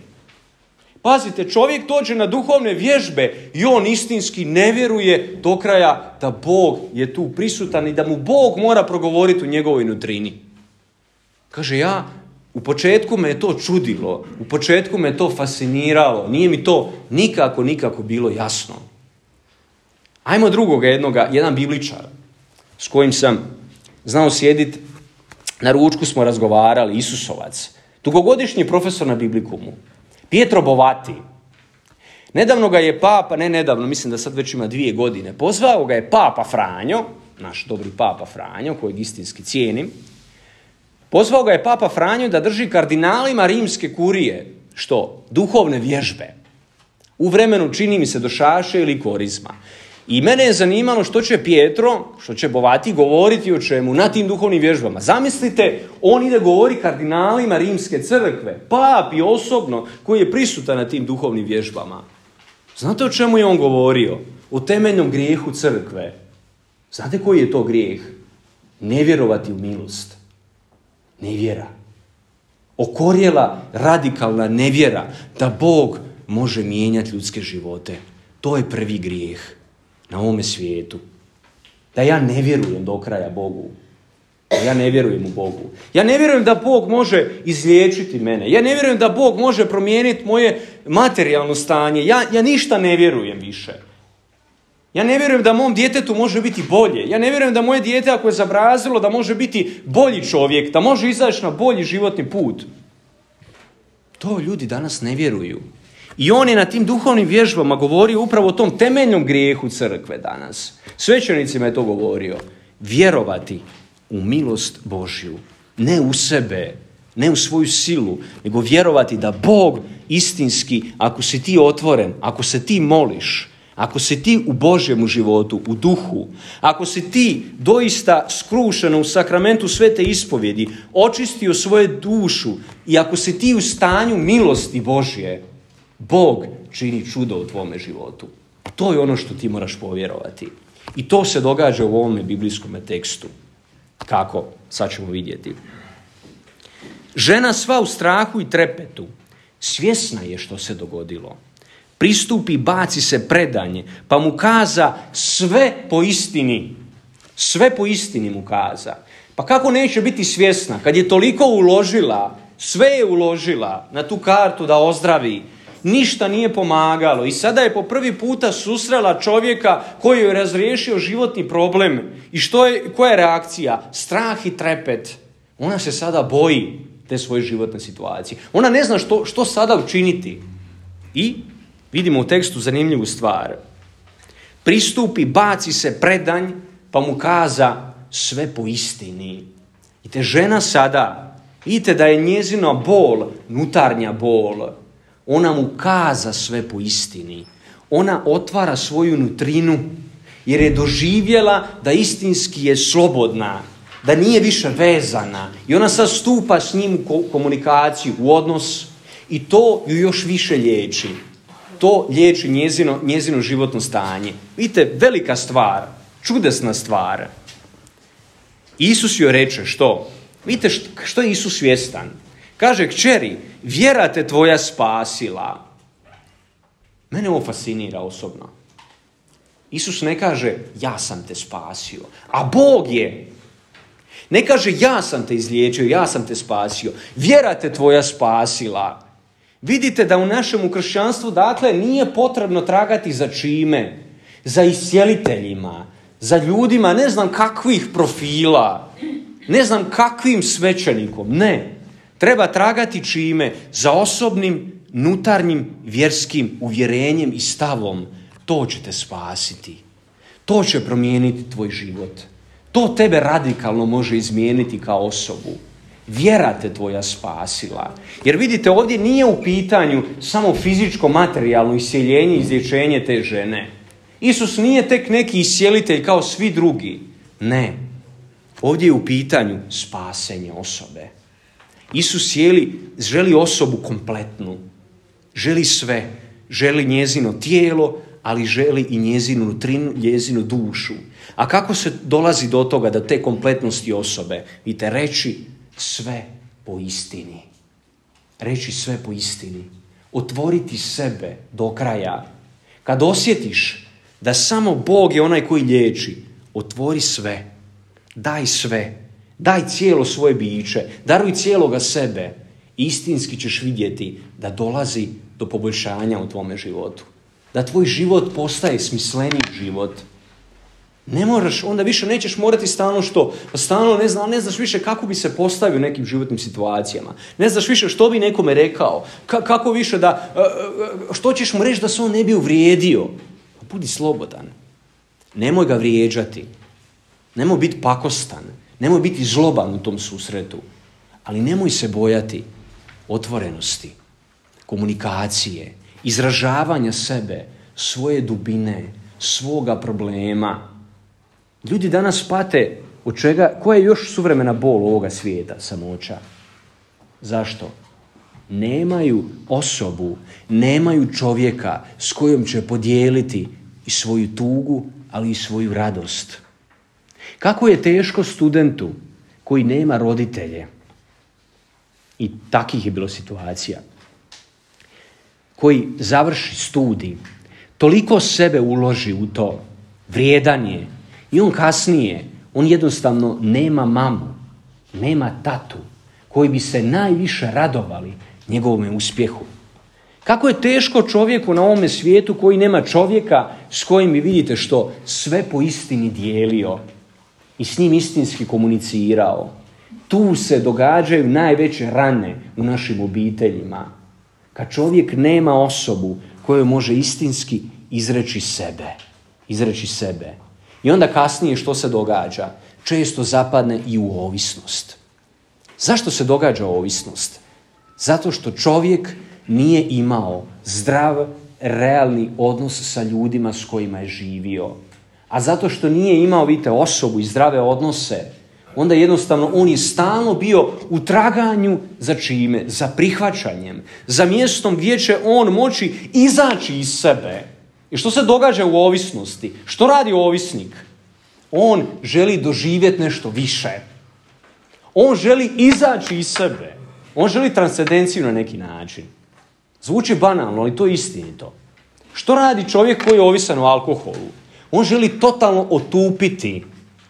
Pazite, čovjek dođe na duhovne vježbe i on istinski ne vjeruje do kraja da Bog je tu prisutan i da mu Bog mora progovoriti u njegovoj nutrini. Kaže, ja, u početku me je to čudilo, u početku me je to fasciniralo, nije mi to nikako, nikako bilo jasno. Ajmo drugoga jednoga, jedan bibličar s kojim sam znao sjediti, na ručku smo razgovarali, Isusovac, dugogodišnji profesor na Biblikumu, Pietro Bovati. Nedavno ga je papa, ne nedavno, mislim da sad već ima dvije godine, pozvao ga je papa Franjo, naš dobri papa Franjo, kojeg istinski cijenim, pozvao ga je papa Franjo da drži kardinalima rimske kurije, što? Duhovne vježbe. U vremenu, čini mi se, došaše ili korizma. I mene je zanimalo što će Pietro, što će Bovati govoriti o čemu na tim duhovnim vježbama. Zamislite, on ide govori kardinalima rimske crkve, papi osobno, koji je prisutan na tim duhovnim vježbama. Znate o čemu je on govorio? O temeljnom grijehu crkve. Znate koji je to grijeh? Ne vjerovati u milost. Nevjera. Okorjela radikalna nevjera da Bog može mijenjati ljudske živote. To je prvi grijeh na ovome svijetu. Da ja ne vjerujem do kraja Bogu. Da ja ne vjerujem u Bogu. Ja ne vjerujem da Bog može izliječiti mene. Ja ne vjerujem da Bog može promijeniti moje materijalno stanje. Ja, ja ništa ne vjerujem više. Ja ne vjerujem da mom djetetu može biti bolje. Ja ne vjerujem da moje dijete, ako je zabrazilo, da može biti bolji čovjek, da može izaći na bolji životni put. To ljudi danas ne vjeruju. I on je na tim duhovnim vježbama govorio upravo o tom temeljnom grijehu crkve danas. Svećenicima je to govorio. Vjerovati u milost Božju. Ne u sebe, ne u svoju silu, nego vjerovati da Bog istinski, ako si ti otvoren, ako se ti moliš, ako si ti u Božjemu životu, u duhu, ako si ti doista skrušeno u sakramentu svete ispovjedi, očistio svoju dušu i ako si ti u stanju milosti Božje, Bog čini čudo u tvome životu. To je ono što ti moraš povjerovati. I to se događa u ovome biblijskom tekstu. Kako? Sad ćemo vidjeti. Žena sva u strahu i trepetu, svjesna je što se dogodilo. Pristupi, baci se predanje, pa mu kaza sve po istini. Sve po istini mu kaza. Pa kako neće biti svjesna kad je toliko uložila, sve je uložila na tu kartu da ozdravi, ništa nije pomagalo i sada je po prvi puta susrela čovjeka koji je razriješio životni problem. I što je, koja je reakcija? Strah i trepet. Ona se sada boji te svoje životne situacije. Ona ne zna što, što sada učiniti. I vidimo u tekstu zanimljivu stvar. Pristupi, baci se predanj, pa mu kaza sve po istini. I te žena sada, vidite da je njezina bol, nutarnja bol, ona mu kaza sve po istini. Ona otvara svoju nutrinu jer je doživjela da istinski je slobodna, da nije više vezana i ona sad stupa s njim u komunikaciju, u odnos i to ju još više liječi. To liječi njezino, njezino životno stanje. Vidite, velika stvar, čudesna stvar. Isus joj reče što? Vidite što, što je Isus svjestan. Kaže, kćeri, vjera te tvoja spasila. Mene ovo fascinira osobno. Isus ne kaže, ja sam te spasio, a Bog je. Ne kaže, ja sam te izliječio, ja sam te spasio. Vjera te tvoja spasila. Vidite da u našem kršćanstvu, dakle, nije potrebno tragati za čime? Za iscijeliteljima, za ljudima ne znam kakvih profila, ne znam kakvim svećenikom. Ne. Treba tragati čime? Za osobnim, nutarnjim, vjerskim uvjerenjem i stavom. To će te spasiti. To će promijeniti tvoj život. To tebe radikalno može izmijeniti kao osobu. Vjera te tvoja spasila. Jer vidite, ovdje nije u pitanju samo fizičko, materijalno isjeljenje i izlječenje te žene. Isus nije tek neki isjelitelj kao svi drugi. Ne. Ovdje je u pitanju spasenje osobe. Isus jeli, želi osobu kompletnu. Želi sve. Želi njezino tijelo, ali želi i njezinu nutrinu, njezinu dušu. A kako se dolazi do toga, do te kompletnosti osobe? Vidite, reći sve po istini. Reći sve po istini. Otvoriti sebe do kraja. Kad osjetiš da samo Bog je onaj koji liječi, otvori sve. Daj sve. Daj cijelo svoje biće. Daruj cijeloga sebe. Istinski ćeš vidjeti da dolazi do poboljšanja u tvome životu. Da tvoj život postaje smisleniji život. Ne moraš, onda više nećeš morati stalno što, stalno ne, zna, ne znaš više kako bi se postavio u nekim životnim situacijama. Ne znaš više što bi nekome rekao. Ka, kako više da, što ćeš mu reći da se on ne bi uvrijedio. Budi slobodan. Nemoj ga vrijeđati. Nemoj biti pakostan. Nemoj biti zloban u tom susretu. Ali nemoj se bojati otvorenosti, komunikacije, izražavanja sebe, svoje dubine, svoga problema. Ljudi danas pate od čega, koja je još suvremena bol ovoga svijeta, samoća. Zašto? Nemaju osobu, nemaju čovjeka s kojom će podijeliti i svoju tugu, ali i svoju radost. Kako je teško studentu koji nema roditelje, i takih je bilo situacija, koji završi studij, toliko sebe uloži u to, vrijedan je, i on kasnije, on jednostavno nema mamu, nema tatu, koji bi se najviše radovali njegovome uspjehu. Kako je teško čovjeku na ovome svijetu koji nema čovjeka s kojim vi vidite što sve po istini dijelio i s njim istinski komunicirao. Tu se događaju najveće rane u našim obiteljima. Kad čovjek nema osobu koju može istinski izreći sebe. Izreći sebe. I onda kasnije što se događa? Često zapadne i u ovisnost. Zašto se događa ovisnost? Zato što čovjek nije imao zdrav, realni odnos sa ljudima s kojima je živio. A zato što nije imao, vidite, osobu i zdrave odnose, onda jednostavno on je stalno bio u traganju za čime? Za prihvaćanjem. Za mjestom gdje će on moći izaći iz sebe. I što se događa u ovisnosti? Što radi ovisnik? On želi doživjeti nešto više. On želi izaći iz sebe. On želi transcendenciju na neki način. Zvuči banalno, ali to je istinito. Što radi čovjek koji je ovisan o alkoholu? On želi totalno otupiti.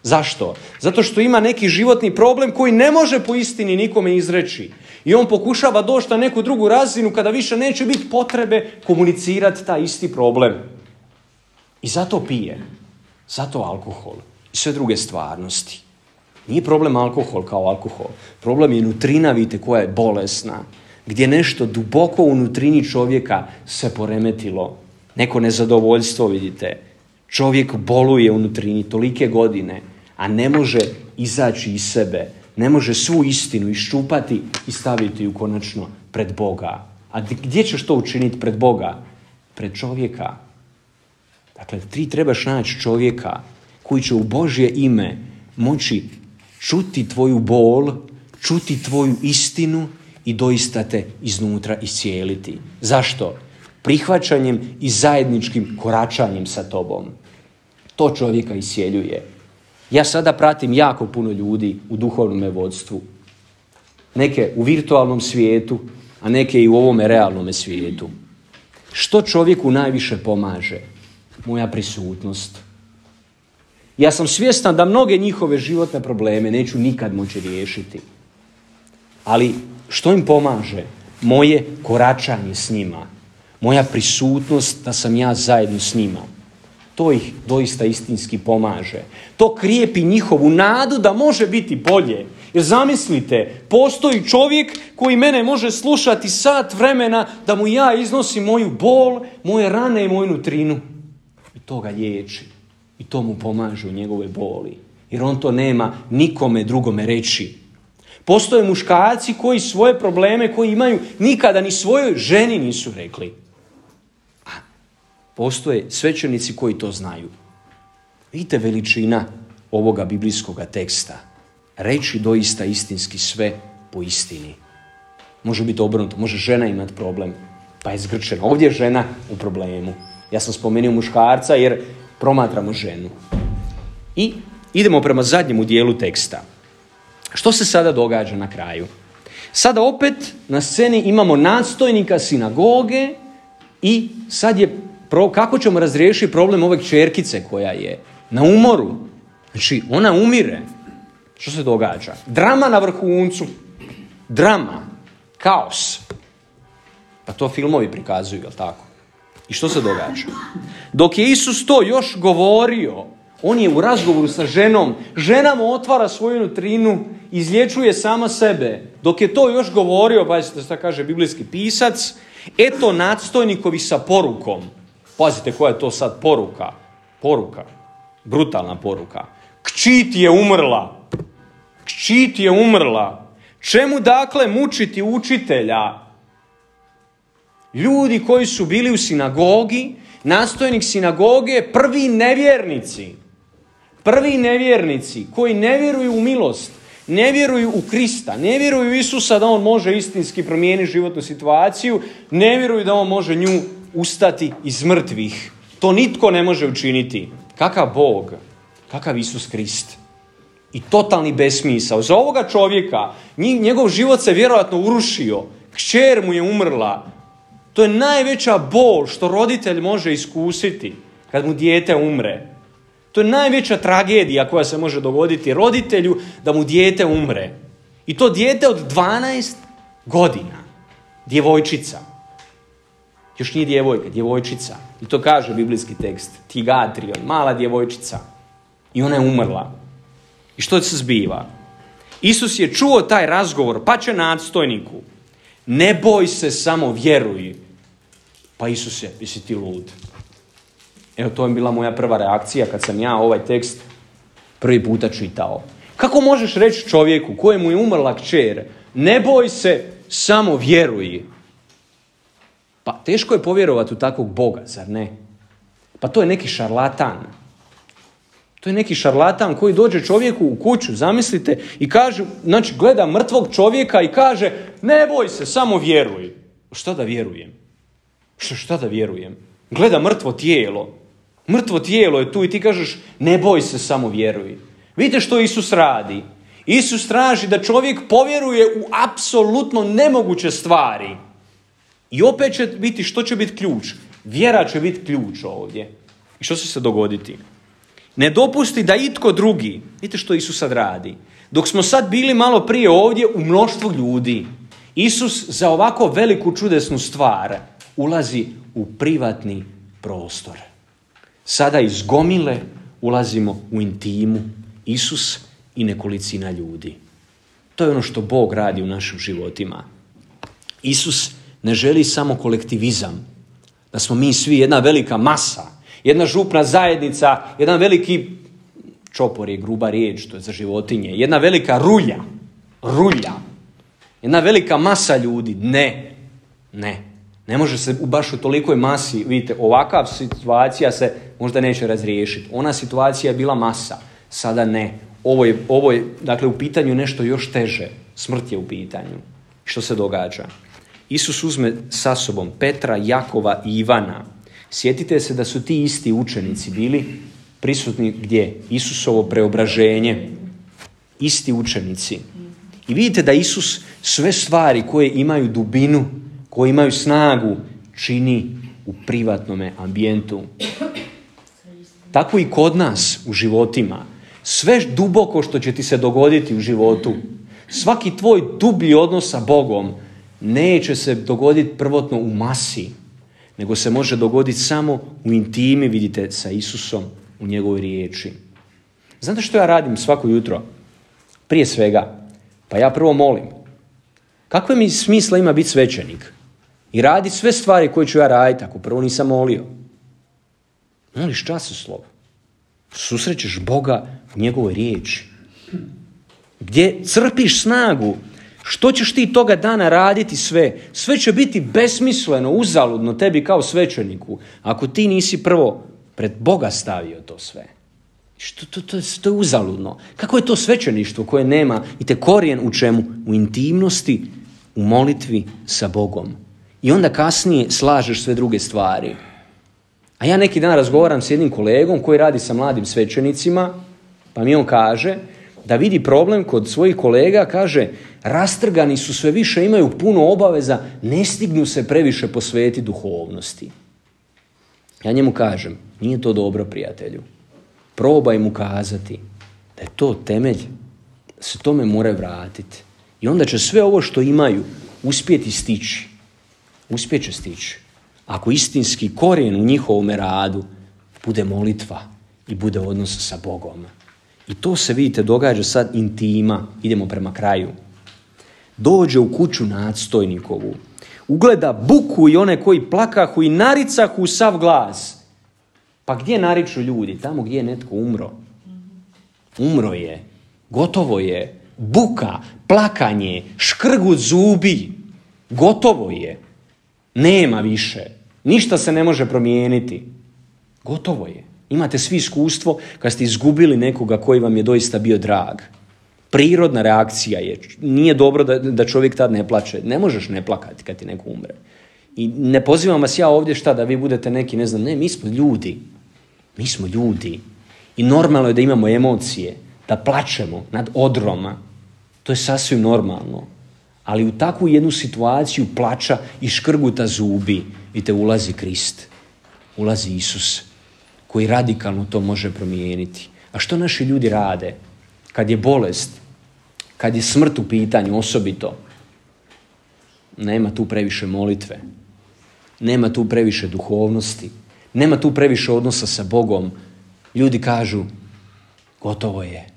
Zašto? Zato što ima neki životni problem koji ne može po istini nikome izreći. I on pokušava doći na neku drugu razinu kada više neće biti potrebe komunicirati taj isti problem. I zato pije. Zato alkohol. I sve druge stvarnosti. Nije problem alkohol kao alkohol. Problem je nutrina, vidite, koja je bolesna. Gdje nešto duboko u nutrini čovjeka se poremetilo. Neko nezadovoljstvo, vidite. Čovjek boluje u nutrini tolike godine, a ne može izaći iz sebe. Ne može svu istinu iščupati i staviti ju konačno pred Boga. A gdje ćeš to učiniti pred Boga? Pred čovjeka. Dakle, ti trebaš naći čovjeka koji će u Božje ime moći čuti tvoju bol, čuti tvoju istinu i doista te iznutra iscijeliti. Zašto? Prihvaćanjem i zajedničkim koračanjem sa tobom. To čovjeka iscijeljuje. Ja sada pratim jako puno ljudi u duhovnom vodstvu. Neke u virtualnom svijetu, a neke i u ovome realnom svijetu. Što čovjeku najviše pomaže? Moja prisutnost. Ja sam svjestan da mnoge njihove životne probleme neću nikad moći riješiti. Ali što im pomaže? Moje koračanje s njima. Moja prisutnost da sam ja zajedno s njima. To ih doista istinski pomaže. To krijepi njihovu nadu da može biti bolje. Jer zamislite, postoji čovjek koji mene može slušati sat vremena da mu ja iznosim moju bol, moje rane i moju nutrinu. I to ga liječi. I to mu pomaže u njegove boli. Jer on to nema nikome drugome reći. Postoje muškarci koji svoje probleme koji imaju nikada ni svojoj ženi nisu rekli. A postoje svećenici koji to znaju. Vidite veličina ovoga biblijskoga teksta. Reći doista istinski sve po istini. Može biti obrnuto, može žena imati problem, pa je zgrčena. Ovdje je žena u problemu. Ja sam spomenuo muškarca jer promatramo ženu. I idemo prema zadnjemu dijelu teksta. Što se sada događa na kraju? Sada opet na sceni imamo nadstojnika sinagoge i sad je pro, kako ćemo razriješiti problem ove kćerkice koja je na umoru. Znači, ona umire. Što se događa? Drama na vrhuncu. Drama. Kaos. Pa to filmovi prikazuju, jel tako? I što se događa? Dok je Isus to još govorio, on je u razgovoru sa ženom, žena mu otvara svoju nutrinu, izlječuje sama sebe. Dok je to još govorio, pazite što kaže biblijski pisac, eto nadstojnikovi sa porukom. Pazite koja je to sad poruka. Poruka. Brutalna poruka. Kći ti je umrla. Kći ti je umrla. Čemu dakle mučiti učitelja? Ljudi koji su bili u sinagogi, nadstojnik sinagoge, prvi nevjernici. Prvi nevjernici koji ne vjeruju u milost, ne vjeruju u Krista, ne vjeruju u Isusa da on može istinski promijeniti životnu situaciju, ne vjeruju da on može nju ustati iz mrtvih. To nitko ne može učiniti. Kakav Bog, kakav Isus Krist. I totalni besmisao. Za ovoga čovjeka, njegov život se vjerojatno urušio, kćer mu je umrla. To je najveća bol što roditelj može iskusiti kad mu dijete umre. To je najveća tragedija koja se može dogoditi roditelju da mu dijete umre. I to dijete od dvanaest godina. Djevojčica. Još nije djevojka, djevojčica. I to kaže biblijski tekst. Tigatrion, mala djevojčica. I ona je umrla. I što se zbiva? Isus je čuo taj razgovor, pa će nadstojniku. Ne boj se, samo vjeruj. Pa Isus je, jesi ti lud? Evo, to je bila moja prva reakcija kad sam ja ovaj tekst prvi puta čitao. Kako možeš reći čovjeku kojemu je umrla kćer, ne boj se, samo vjeruj? Pa teško je povjerovati u takvog Boga, zar ne? Pa to je neki šarlatan. To je neki šarlatan koji dođe čovjeku u kuću, zamislite, i kaže, znači gleda mrtvog čovjeka i kaže, ne boj se, samo vjeruj. Šta da vjerujem? Šta, šta da vjerujem? Gleda mrtvo tijelo. Mrtvo tijelo je tu i ti kažeš, ne boj se, samo vjeruj. Vidite što Isus radi. Isus traži da čovjek povjeruje u apsolutno nemoguće stvari. I opet će biti, što će biti ključ? Vjera će biti ključ ovdje. I što će se dogoditi? Ne dopusti da itko drugi, vidite što Isus sad radi. Dok smo sad bili malo prije ovdje u mnoštvu ljudi, Isus za ovako veliku čudesnu stvar ulazi u privatni prostor. Sada iz gomile ulazimo u intimu, Isus i nekolicina ljudi. To je ono što Bog radi u našim životima. Isus ne želi samo kolektivizam, da smo mi svi jedna velika masa, jedna župna zajednica, jedan veliki, čopor je gruba riječ, to je za životinje, jedna velika rulja, rulja, jedna velika masa ljudi. Ne, ne. Ne može se baš u tolikoj masi, vidite, ovakav situacija se možda neće razriješiti. Ona situacija je bila masa, sada ne. Ovo je, ovo je, dakle, u pitanju nešto još teže. Smrt je u pitanju. Što se događa? Isus uzme sa sobom Petra, Jakova i Ivana. Sjetite se da su ti isti učenici bili prisutni gdje? Isusovo preobraženje. Isti učenici. I vidite da Isus sve stvari koje imaju dubinu, koje imaju snagu, čini u privatnome ambijentu. Tako i kod nas u životima. Sve duboko što će ti se dogoditi u životu, svaki tvoj dublji odnos sa Bogom neće se dogoditi prvotno u masi, nego se može dogoditi samo u intimi, vidite, sa Isusom u njegovoj riječi. Znate što ja radim svako jutro? Prije svega, pa ja prvo molim. Kakve mi smisla ima biti svećenik? I raditi sve stvari koje ću ja raditi ako prvo nisam molio. Moliš časoslov. Susrećeš Boga u njegovoj riječi. Gdje crpiš snagu. Što ćeš ti toga dana raditi sve? Sve će biti besmisleno, uzaludno tebi kao svećeniku. Ako ti nisi prvo pred Boga stavio to sve. Što, to, to, to je uzaludno. Kako je to svećeništvo koje nema i te korijen u čemu? U intimnosti, u molitvi sa Bogom. I onda kasnije slažeš sve druge stvari. A ja neki dan razgovaram s jednim kolegom koji radi sa mladim svećenicima, pa mi on kaže da vidi problem kod svojih kolega, kaže, rastrgani su sve više, imaju puno obaveza, ne stignu se previše posvetiti duhovnosti. Ja njemu kažem, nije to dobro, prijatelju. Probaj mu kazati da je to temelj, da se tome mora vratiti. I onda će sve ovo što imaju uspjeti stići. Uspjet će stići. Ako istinski korijen u njihovom radu bude molitva i bude odnos sa Bogom. I to se, vidite, događa sad intima. Idemo prema kraju. Dođe u kuću nadstojnikovu. Ugleda buku i one koji plakahu i naricahu u sav glas. Pa gdje nariču ljudi? Tamo gdje je netko umro. Umro je. Gotovo je. Buka, plakanje, škrgut zubi. Gotovo je. Nema više. Ništa se ne može promijeniti. Gotovo je. Imate svi iskustvo kad ste izgubili nekoga koji vam je doista bio drag. Prirodna reakcija je. Nije dobro da, da čovjek tad ne plače. Ne možeš ne plakati kad ti neko umre. I ne pozivam vas ja ovdje šta da vi budete neki, ne znam, ne, mi smo ljudi. Mi smo ljudi. I normalno je da imamo emocije, da plačemo nad odroma. To je sasvim normalno. Ali u takvu jednu situaciju plača i škrguta zubi, vidite, ulazi Krist. Ulazi Isus, koji radikalno to može promijeniti. A što naši ljudi rade? Kad je bolest, kad je smrt u pitanju osobito, nema tu previše molitve, nema tu previše duhovnosti, nema tu previše odnosa sa Bogom. Ljudi kažu, gotovo je,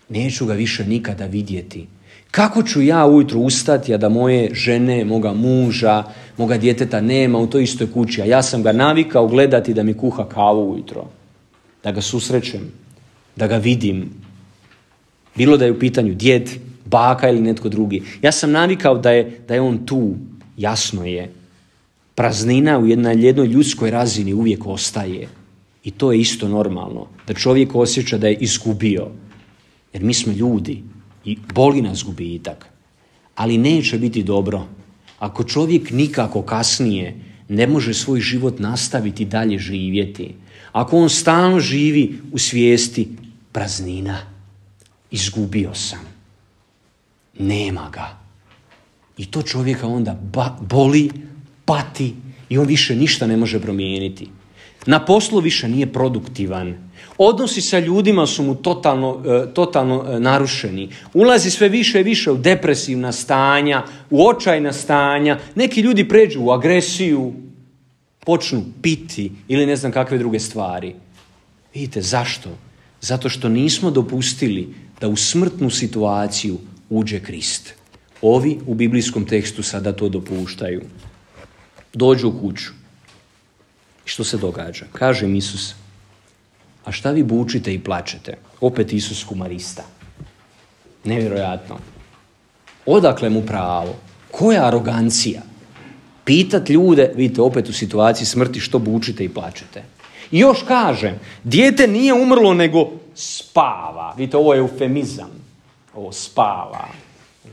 neću ga više nikada vidjeti. Kako ću ja ujutro ustati, a da moje žene, moga muža, moga djeteta nema u toj istoj kući, a ja sam ga navikao gledati da mi kuha kavu ujutro, da ga susrećem, da ga vidim. Bilo da je u pitanju djed, baka ili netko drugi. Ja sam navikao da je, da je on tu, jasno je. Praznina u jednoj, jednoj ljudskoj razini uvijek ostaje. I to je isto normalno. Da čovjek osjeća da je izgubio. Jer mi smo ljudi i boli nas gubitak. Ali neće biti dobro ako čovjek nikako kasnije ne može svoj život nastaviti dalje živjeti. Ako on stalno živi u svijesti praznina. Izgubio sam. Nema ga. I to čovjeka onda ba- boli, pati i on više ništa ne može promijeniti. Na poslu više nije produktivan. Odnosi sa ljudima su mu totalno, totalno narušeni. Ulazi sve više i više u depresivna stanja, u očajna stanja. Neki ljudi pređu u agresiju, počnu piti ili ne znam kakve druge stvari. Vidite, zašto? Zato što nismo dopustili da u smrtnu situaciju uđe Krist. Ovi u biblijskom tekstu sada to dopuštaju. Dođu u kuću. I što se događa? Kaže im Isus, a šta vi bučite i plačete? Opet Isus humarista. Nevjerojatno. Odakle mu pravo? Koja arogancija? Pitat ljude, vidite opet u situaciji smrti, što bučite i plačete. I još kažem, dijete nije umrlo nego spava. Vidite, ovo je eufemizam. Ovo spava.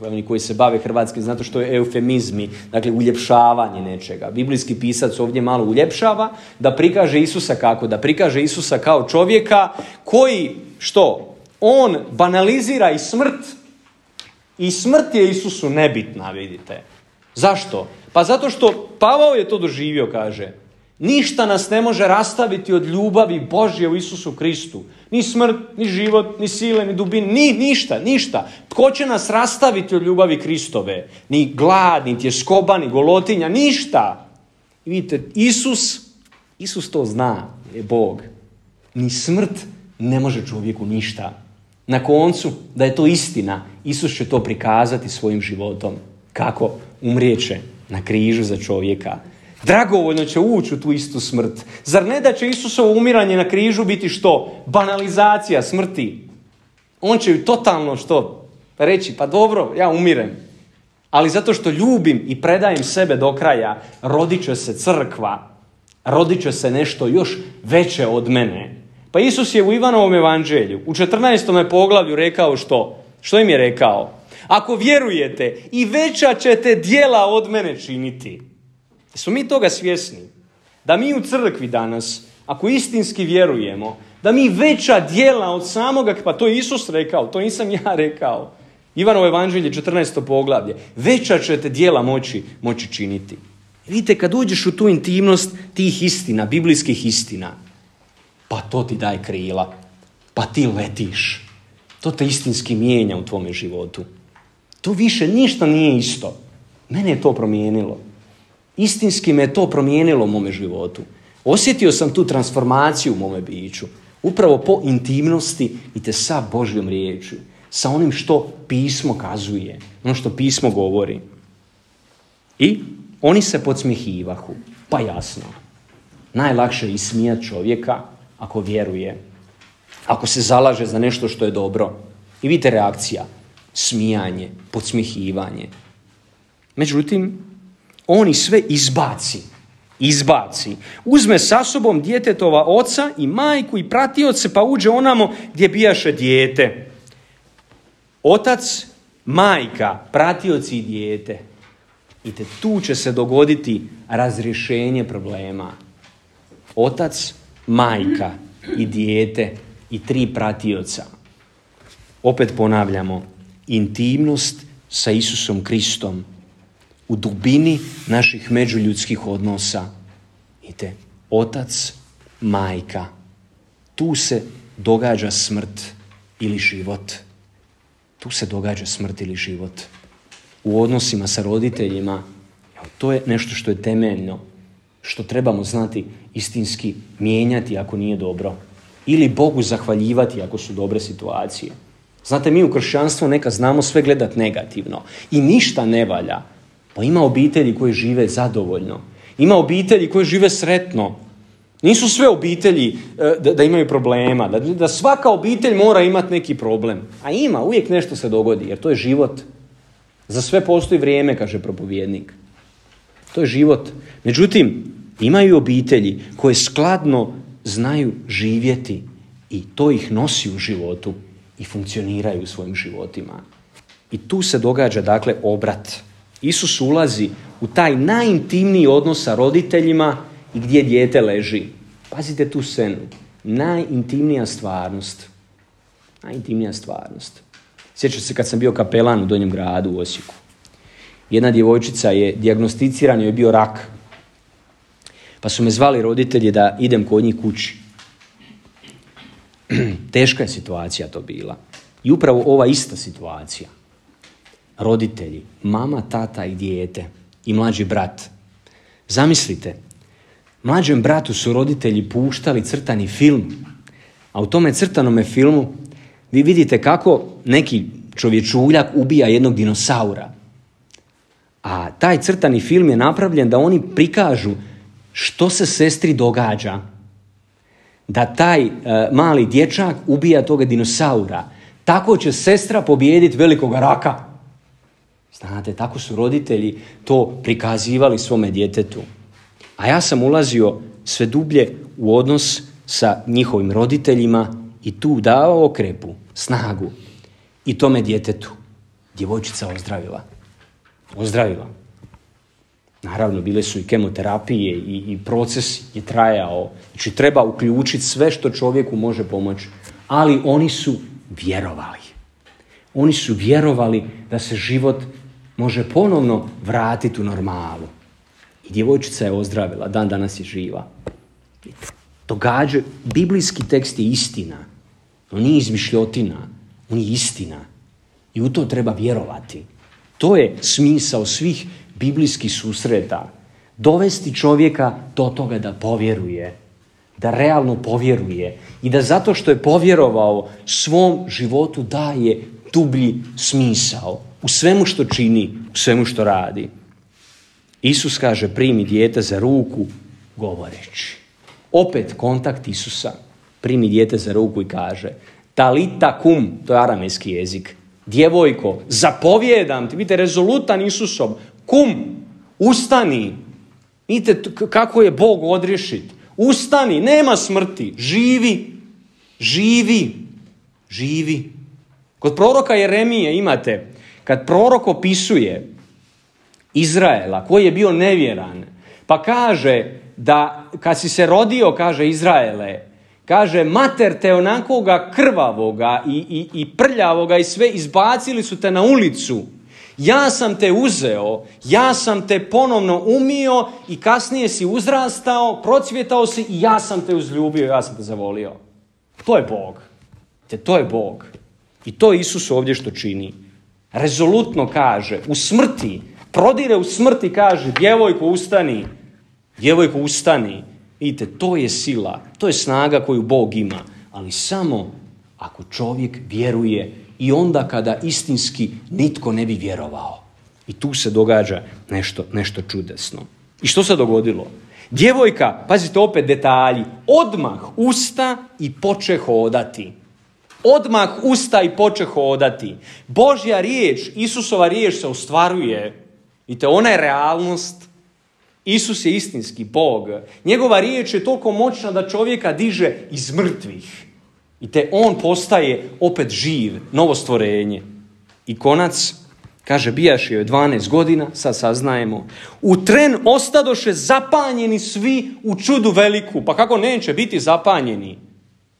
Oni koji se bave hrvatski, znate što je eufemizmi, dakle uljepšavanje nečega. Biblijski pisac ovdje malo uljepšava da prikaže Isusa kako? Da prikaže Isusa kao čovjeka koji, što? On banalizira i smrt. I smrt je Isusu nebitna, vidite. Zašto? Pa zato što Pavao je to doživio, kaže. Ništa nas ne može rastaviti od ljubavi Božje u Isusu Kristu. Ni smrt, ni život, ni sile, ni dubine, ni ništa, ništa. Tko će nas rastaviti od ljubavi Kristove? Ni glad, ni tjeskoba, ni golotinja, ništa. I vidite, Isus, Isus to zna, je Bog. Ni smrt ne može čovjeku ništa. Na koncu, da je to istina, Isus će to prikazati svojim životom. Kako? Umrijeće na križu za čovjeka. Dragovoljno će ući u tu istu smrt. Zar ne da će Isusovo umiranje na križu biti što? Banalizacija smrti. On će ju totalno što? Reći, pa dobro, ja umirem. Ali zato što ljubim i predajem sebe do kraja, rodit će se crkva. Rodit će se nešto još veće od mene. Pa Isus je u Ivanovom evanđelju u četrnaestom poglavlju rekao što? Što im je rekao? Ako vjerujete, i veća ćete djela od mene činiti. Jesmo mi toga svjesni? Da mi u crkvi danas, ako istinski vjerujemo, da mi veća djela od samoga, pa to je Isus rekao, to nisam ja rekao. Ivanovo evanđelje, četrnaesto poglavlje. Veća ćete djela moći, moći činiti. Vidite, kad uđeš u tu intimnost tih istina, biblijskih istina, pa to ti daje krila. Pa ti letiš. To te istinski mijenja u tvome životu. To više ništa nije isto. Mene je to promijenilo. Istinski me je to promijenilo u mome životu. Osjetio sam tu transformaciju u mome biću. Upravo po intimnosti i te sa Božjom riječju. Sa onim što pismo kazuje. Ono što pismo govori. I oni se podsmijehivahu. Pa jasno. Najlakše je ismijati čovjeka ako vjeruje. Ako se zalaže za nešto što je dobro. I vidite reakcija. Smijanje, podsmjehivanje. Međutim, oni sve izbaci. Izbaci. Uzme sa sobom djetetova oca i majku i pratioce, pa uđe onamo gdje bijaše dijete. Otac, majka, pratioci i dijete. I te tu će se dogoditi razrješenje problema. Otac, majka i dijete i tri pratioca. Opet ponavljamo, intimnost sa Isusom Kristom u dubini naših međuljudskih odnosa. Vidite, otac, majka. Tu se događa smrt ili život. Tu se događa smrt ili život. U odnosima sa roditeljima, to je nešto što je temeljno, što trebamo znati istinski mijenjati ako nije dobro. Ili Bogu zahvaljivati ako su dobre situacije. Znate, mi u kršćanstvu neka znamo sve gledati negativno i ništa ne valja. Pa ima obitelji koje žive zadovoljno. Ima obitelji koje žive sretno. Nisu sve obitelji da, da imaju problema, da, da svaka obitelj mora imati neki problem. A ima, uvijek nešto se dogodi, jer to je život. Za sve postoji vrijeme, kaže propovjednik. To je život. Međutim, imaju obitelji koje skladno znaju živjeti i to ih nosi u životu i funkcioniraju u svojim životima. I tu se događa, dakle, obrat. Isus ulazi u taj najintimniji odnos sa roditeljima i gdje dijete leži. Pazite tu scenu. Najintimnija stvarnost. Najintimnija stvarnost. Sjećam se kad sam bio kapelan u Donjem gradu u Osijeku. Jedna djevojčica je dijagnosticirana, joj je bio rak. Pa su me zvali roditelji da idem kod njih kući. Teška je situacija to bila. I upravo ova ista situacija. Roditelji, mama, tata i dijete i mlađi brat. Zamislite, mlađem bratu su roditelji puštali crtani film, a u tome crtanome filmu vi vidite kako neki čovječuljak ubija jednog dinosaura. A taj crtani film je napravljen da oni prikažu što se sestri događa. Da taj e, mali dječak ubija toga dinosaura. Tako će sestra pobijediti velikog raka. Znate, tako su roditelji to prikazivali svome djetetu. A ja sam ulazio sve dublje u odnos sa njihovim roditeljima i tu dao okrepu, snagu i tome djetetu. Djevojčica ozdravila. Ozdravila. Naravno, bile su i kemoterapije i, i proces je trajao. Znači, treba uključiti sve što čovjeku može pomoći. Ali oni su vjerovali. Oni su vjerovali da se život može ponovno vratiti u normalu. I djevojčica je ozdravila, dan danas je živa. Događa, biblijski tekst je istina. On nije izmišljotina, on je istina. I u to treba vjerovati. To je smisao svih biblijskih susreta. Dovesti čovjeka do toga da povjeruje. Da realno povjeruje. I da zato što je povjerovao svom životu daje dublji smisao. U svemu što čini, u svemu što radi. Isus kaže primi dijete za ruku govoreći. Opet kontakt Isusa. Primi dijete za ruku i kaže talita kum, to je aramejski jezik. Djevojko, zapovjedam ti, vidite rezolutan Isusom. Kum, ustani. Vidite kako je Bog odriješit. Ustani, nema smrti, živi, živi, živi. Kod proroka Jeremije imate, kad prorok opisuje Izraela, koji je bio nevjeran, pa kaže da kad si se rodio, kaže Izraele, kaže mater te onakoga krvavoga i, i, i prljavoga i sve izbacili su te na ulicu. Ja sam te uzeo, ja sam te ponovno umio i kasnije si uzrastao, procvjetao si i ja sam te uzljubio, ja sam te zavolio. To je Bog. Te to je Bog. I to Isus ovdje što čini. Rezolutno kaže, u smrti, prodire u smrti, kaže, djevojko ustani, djevojko ustani. Vidite, to je sila, to je snaga koju Bog ima, ali samo ako čovjek vjeruje i onda kada istinski nitko ne bi vjerovao. I tu se događa nešto, nešto čudesno. I što se dogodilo? Djevojka, pazite opet detalji, odmah usta i poče hodati. Odmah usta i poče hodati. Božja riječ, Isusova riječ se ostvaruje. Vidite, ona je realnost. Isus je istinski Bog. Njegova riječ je toliko moćna da čovjeka diže iz mrtvih. I te on postaje opet živ, novo stvorenje. I konac, kaže, bijaše joj dvanaest godina, sad saznajemo, u tren ostadoše zapanjeni svi u čudu veliku. Pa kako neće biti zapanjeni?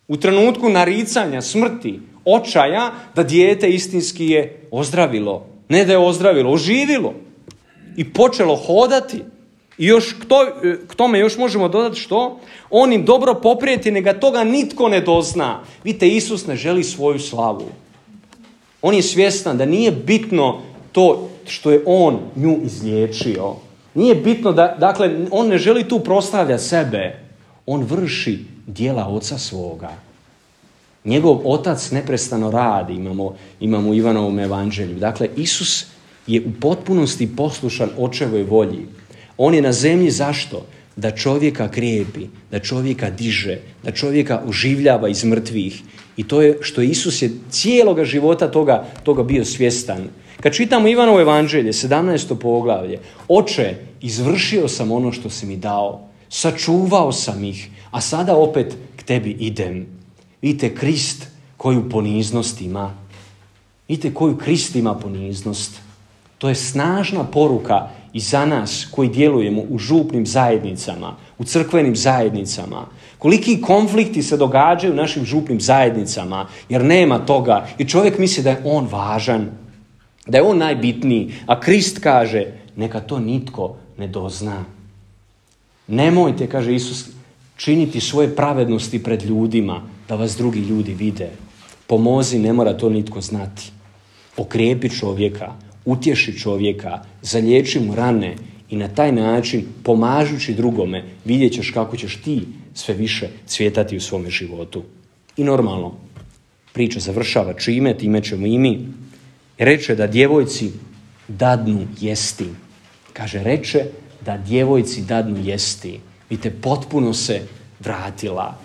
U trenutku naricanja, smrti, očaja, da dijete istinski je ozdravilo. Ne da je ozdravilo, oživilo. I počelo hodati. I još k, to, k tome još možemo dodati što? On im dobro poprijeti, neka toga nitko ne dozna. Vidite, Isus ne želi svoju slavu. On je svjestan da nije bitno to što je on nju izliječio. Nije bitno da, dakle, on ne želi tu proslavljati sebe. On vrši djela oca svoga. Njegov otac neprestano radi, imamo, imamo u Ivanovom evanđelju. Dakle, Isus je u potpunosti poslušan očevoj volji. On je na zemlji zašto? Da čovjeka krijepi, da čovjeka diže, da čovjeka oživljava iz mrtvih. I to je što Isus je cijeloga života toga, toga bio svjestan. Kad čitamo Ivanovo evanđelje, sedamnaesto poglavlje, Oče, izvršio sam ono što si mi dao, sačuvao sam ih, a sada opet k tebi idem. Vidite Krist koju poniznost ima. Vidite koju Krist ima poniznost. To je snažna poruka i za nas koji djelujemo u župnim zajednicama, u crkvenim zajednicama. Koliki konflikti se događaju u našim župnim zajednicama, jer nema toga. I čovjek misli da je on važan, da je on najbitniji. A Krist kaže, neka to nitko ne dozna. Nemojte, kaže Isus, činiti svoje pravednosti pred ljudima, da vas drugi ljudi vide. Pomozi, ne mora to nitko znati. Okrijepi čovjeka, utješi čovjeka, zaliječi mu rane i na taj način, pomažući drugome, vidjet ćeš kako ćeš ti sve više cvjetati u svome životu. I normalno, priča završava čime, time ćemo i mi. Reče da djevojci dadnu jesti. Kaže, reče da djevojci dadnu jesti. Vidite, potpuno se vratila.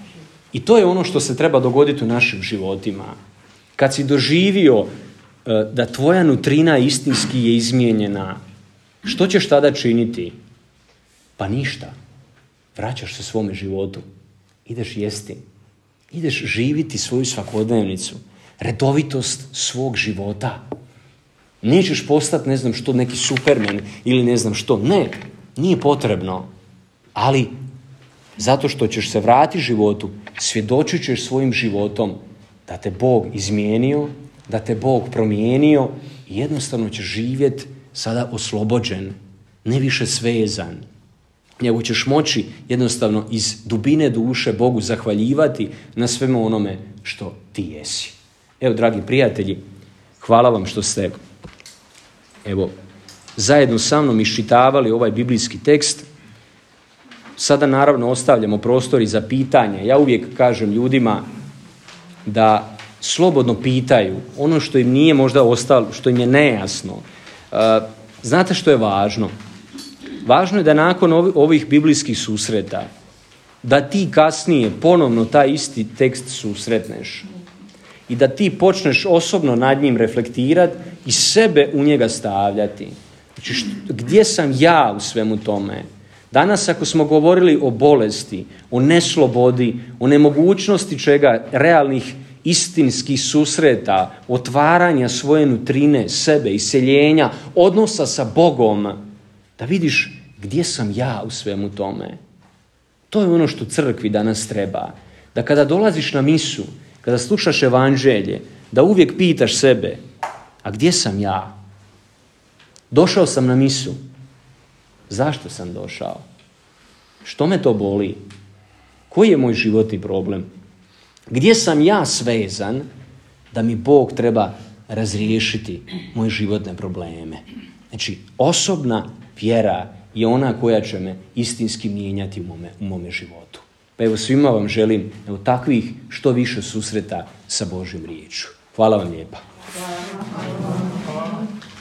I to je ono što se treba dogoditi u našim životima. Kad si doživio da tvoja nutrina istinski je izmijenjena, što ćeš tada činiti? Pa ništa. Vraćaš se svome životu. Ideš jesti. Ideš živiti svoju svakodnevnicu. Redovitost svog života. Nećeš postati, ne znam što, neki supermen ili ne znam što. Ne, nije potrebno. Ali zato što ćeš se vratiti životu, svjedočit ćeš svojim životom da te Bog izmijenio, da te Bog promijenio i jednostavno ćeš živjeti sada oslobođen, ne više svezan. Nego ćeš moći jednostavno iz dubine duše Bogu zahvaljivati na svemu onome što ti jesi. Evo, dragi prijatelji, hvala vam što ste evo, zajedno sa mnom iščitavali ovaj biblijski tekst. Sada naravno ostavljamo prostor i za pitanje. Ja uvijek kažem ljudima da slobodno pitaju ono što im nije možda ostalo, što im je nejasno. Uh, znate što je važno? Važno je da nakon ovih biblijskih susreta, da ti kasnije ponovno taj isti tekst susretneš i da ti počneš osobno nad njim reflektirati i sebe u njega stavljati. Znači, što, gdje sam ja u svemu tome? Danas ako smo govorili o bolesti, o neslobodi, o nemogućnosti čega, realnih istinskih susreta, otvaranja svoje nutrine, sebe, iseljenja, odnosa sa Bogom, da vidiš gdje sam ja u svemu tome. To je ono što crkvi danas treba. Da kada dolaziš na misu, kada slušaš evanđelje, da uvijek pitaš sebe, a gdje sam ja? Došao sam na misu. Zašto sam došao? Što me to boli? Koji je moj životni problem? Gdje sam ja svezan da mi Bog treba razriješiti moje životne probleme? Znači, osobna vjera je ona koja će me istinski mijenjati u mome, u mome životu. Pa evo, svima vam želim evo, takvih što više susreta sa Božjom riječju. Hvala vam lijepa.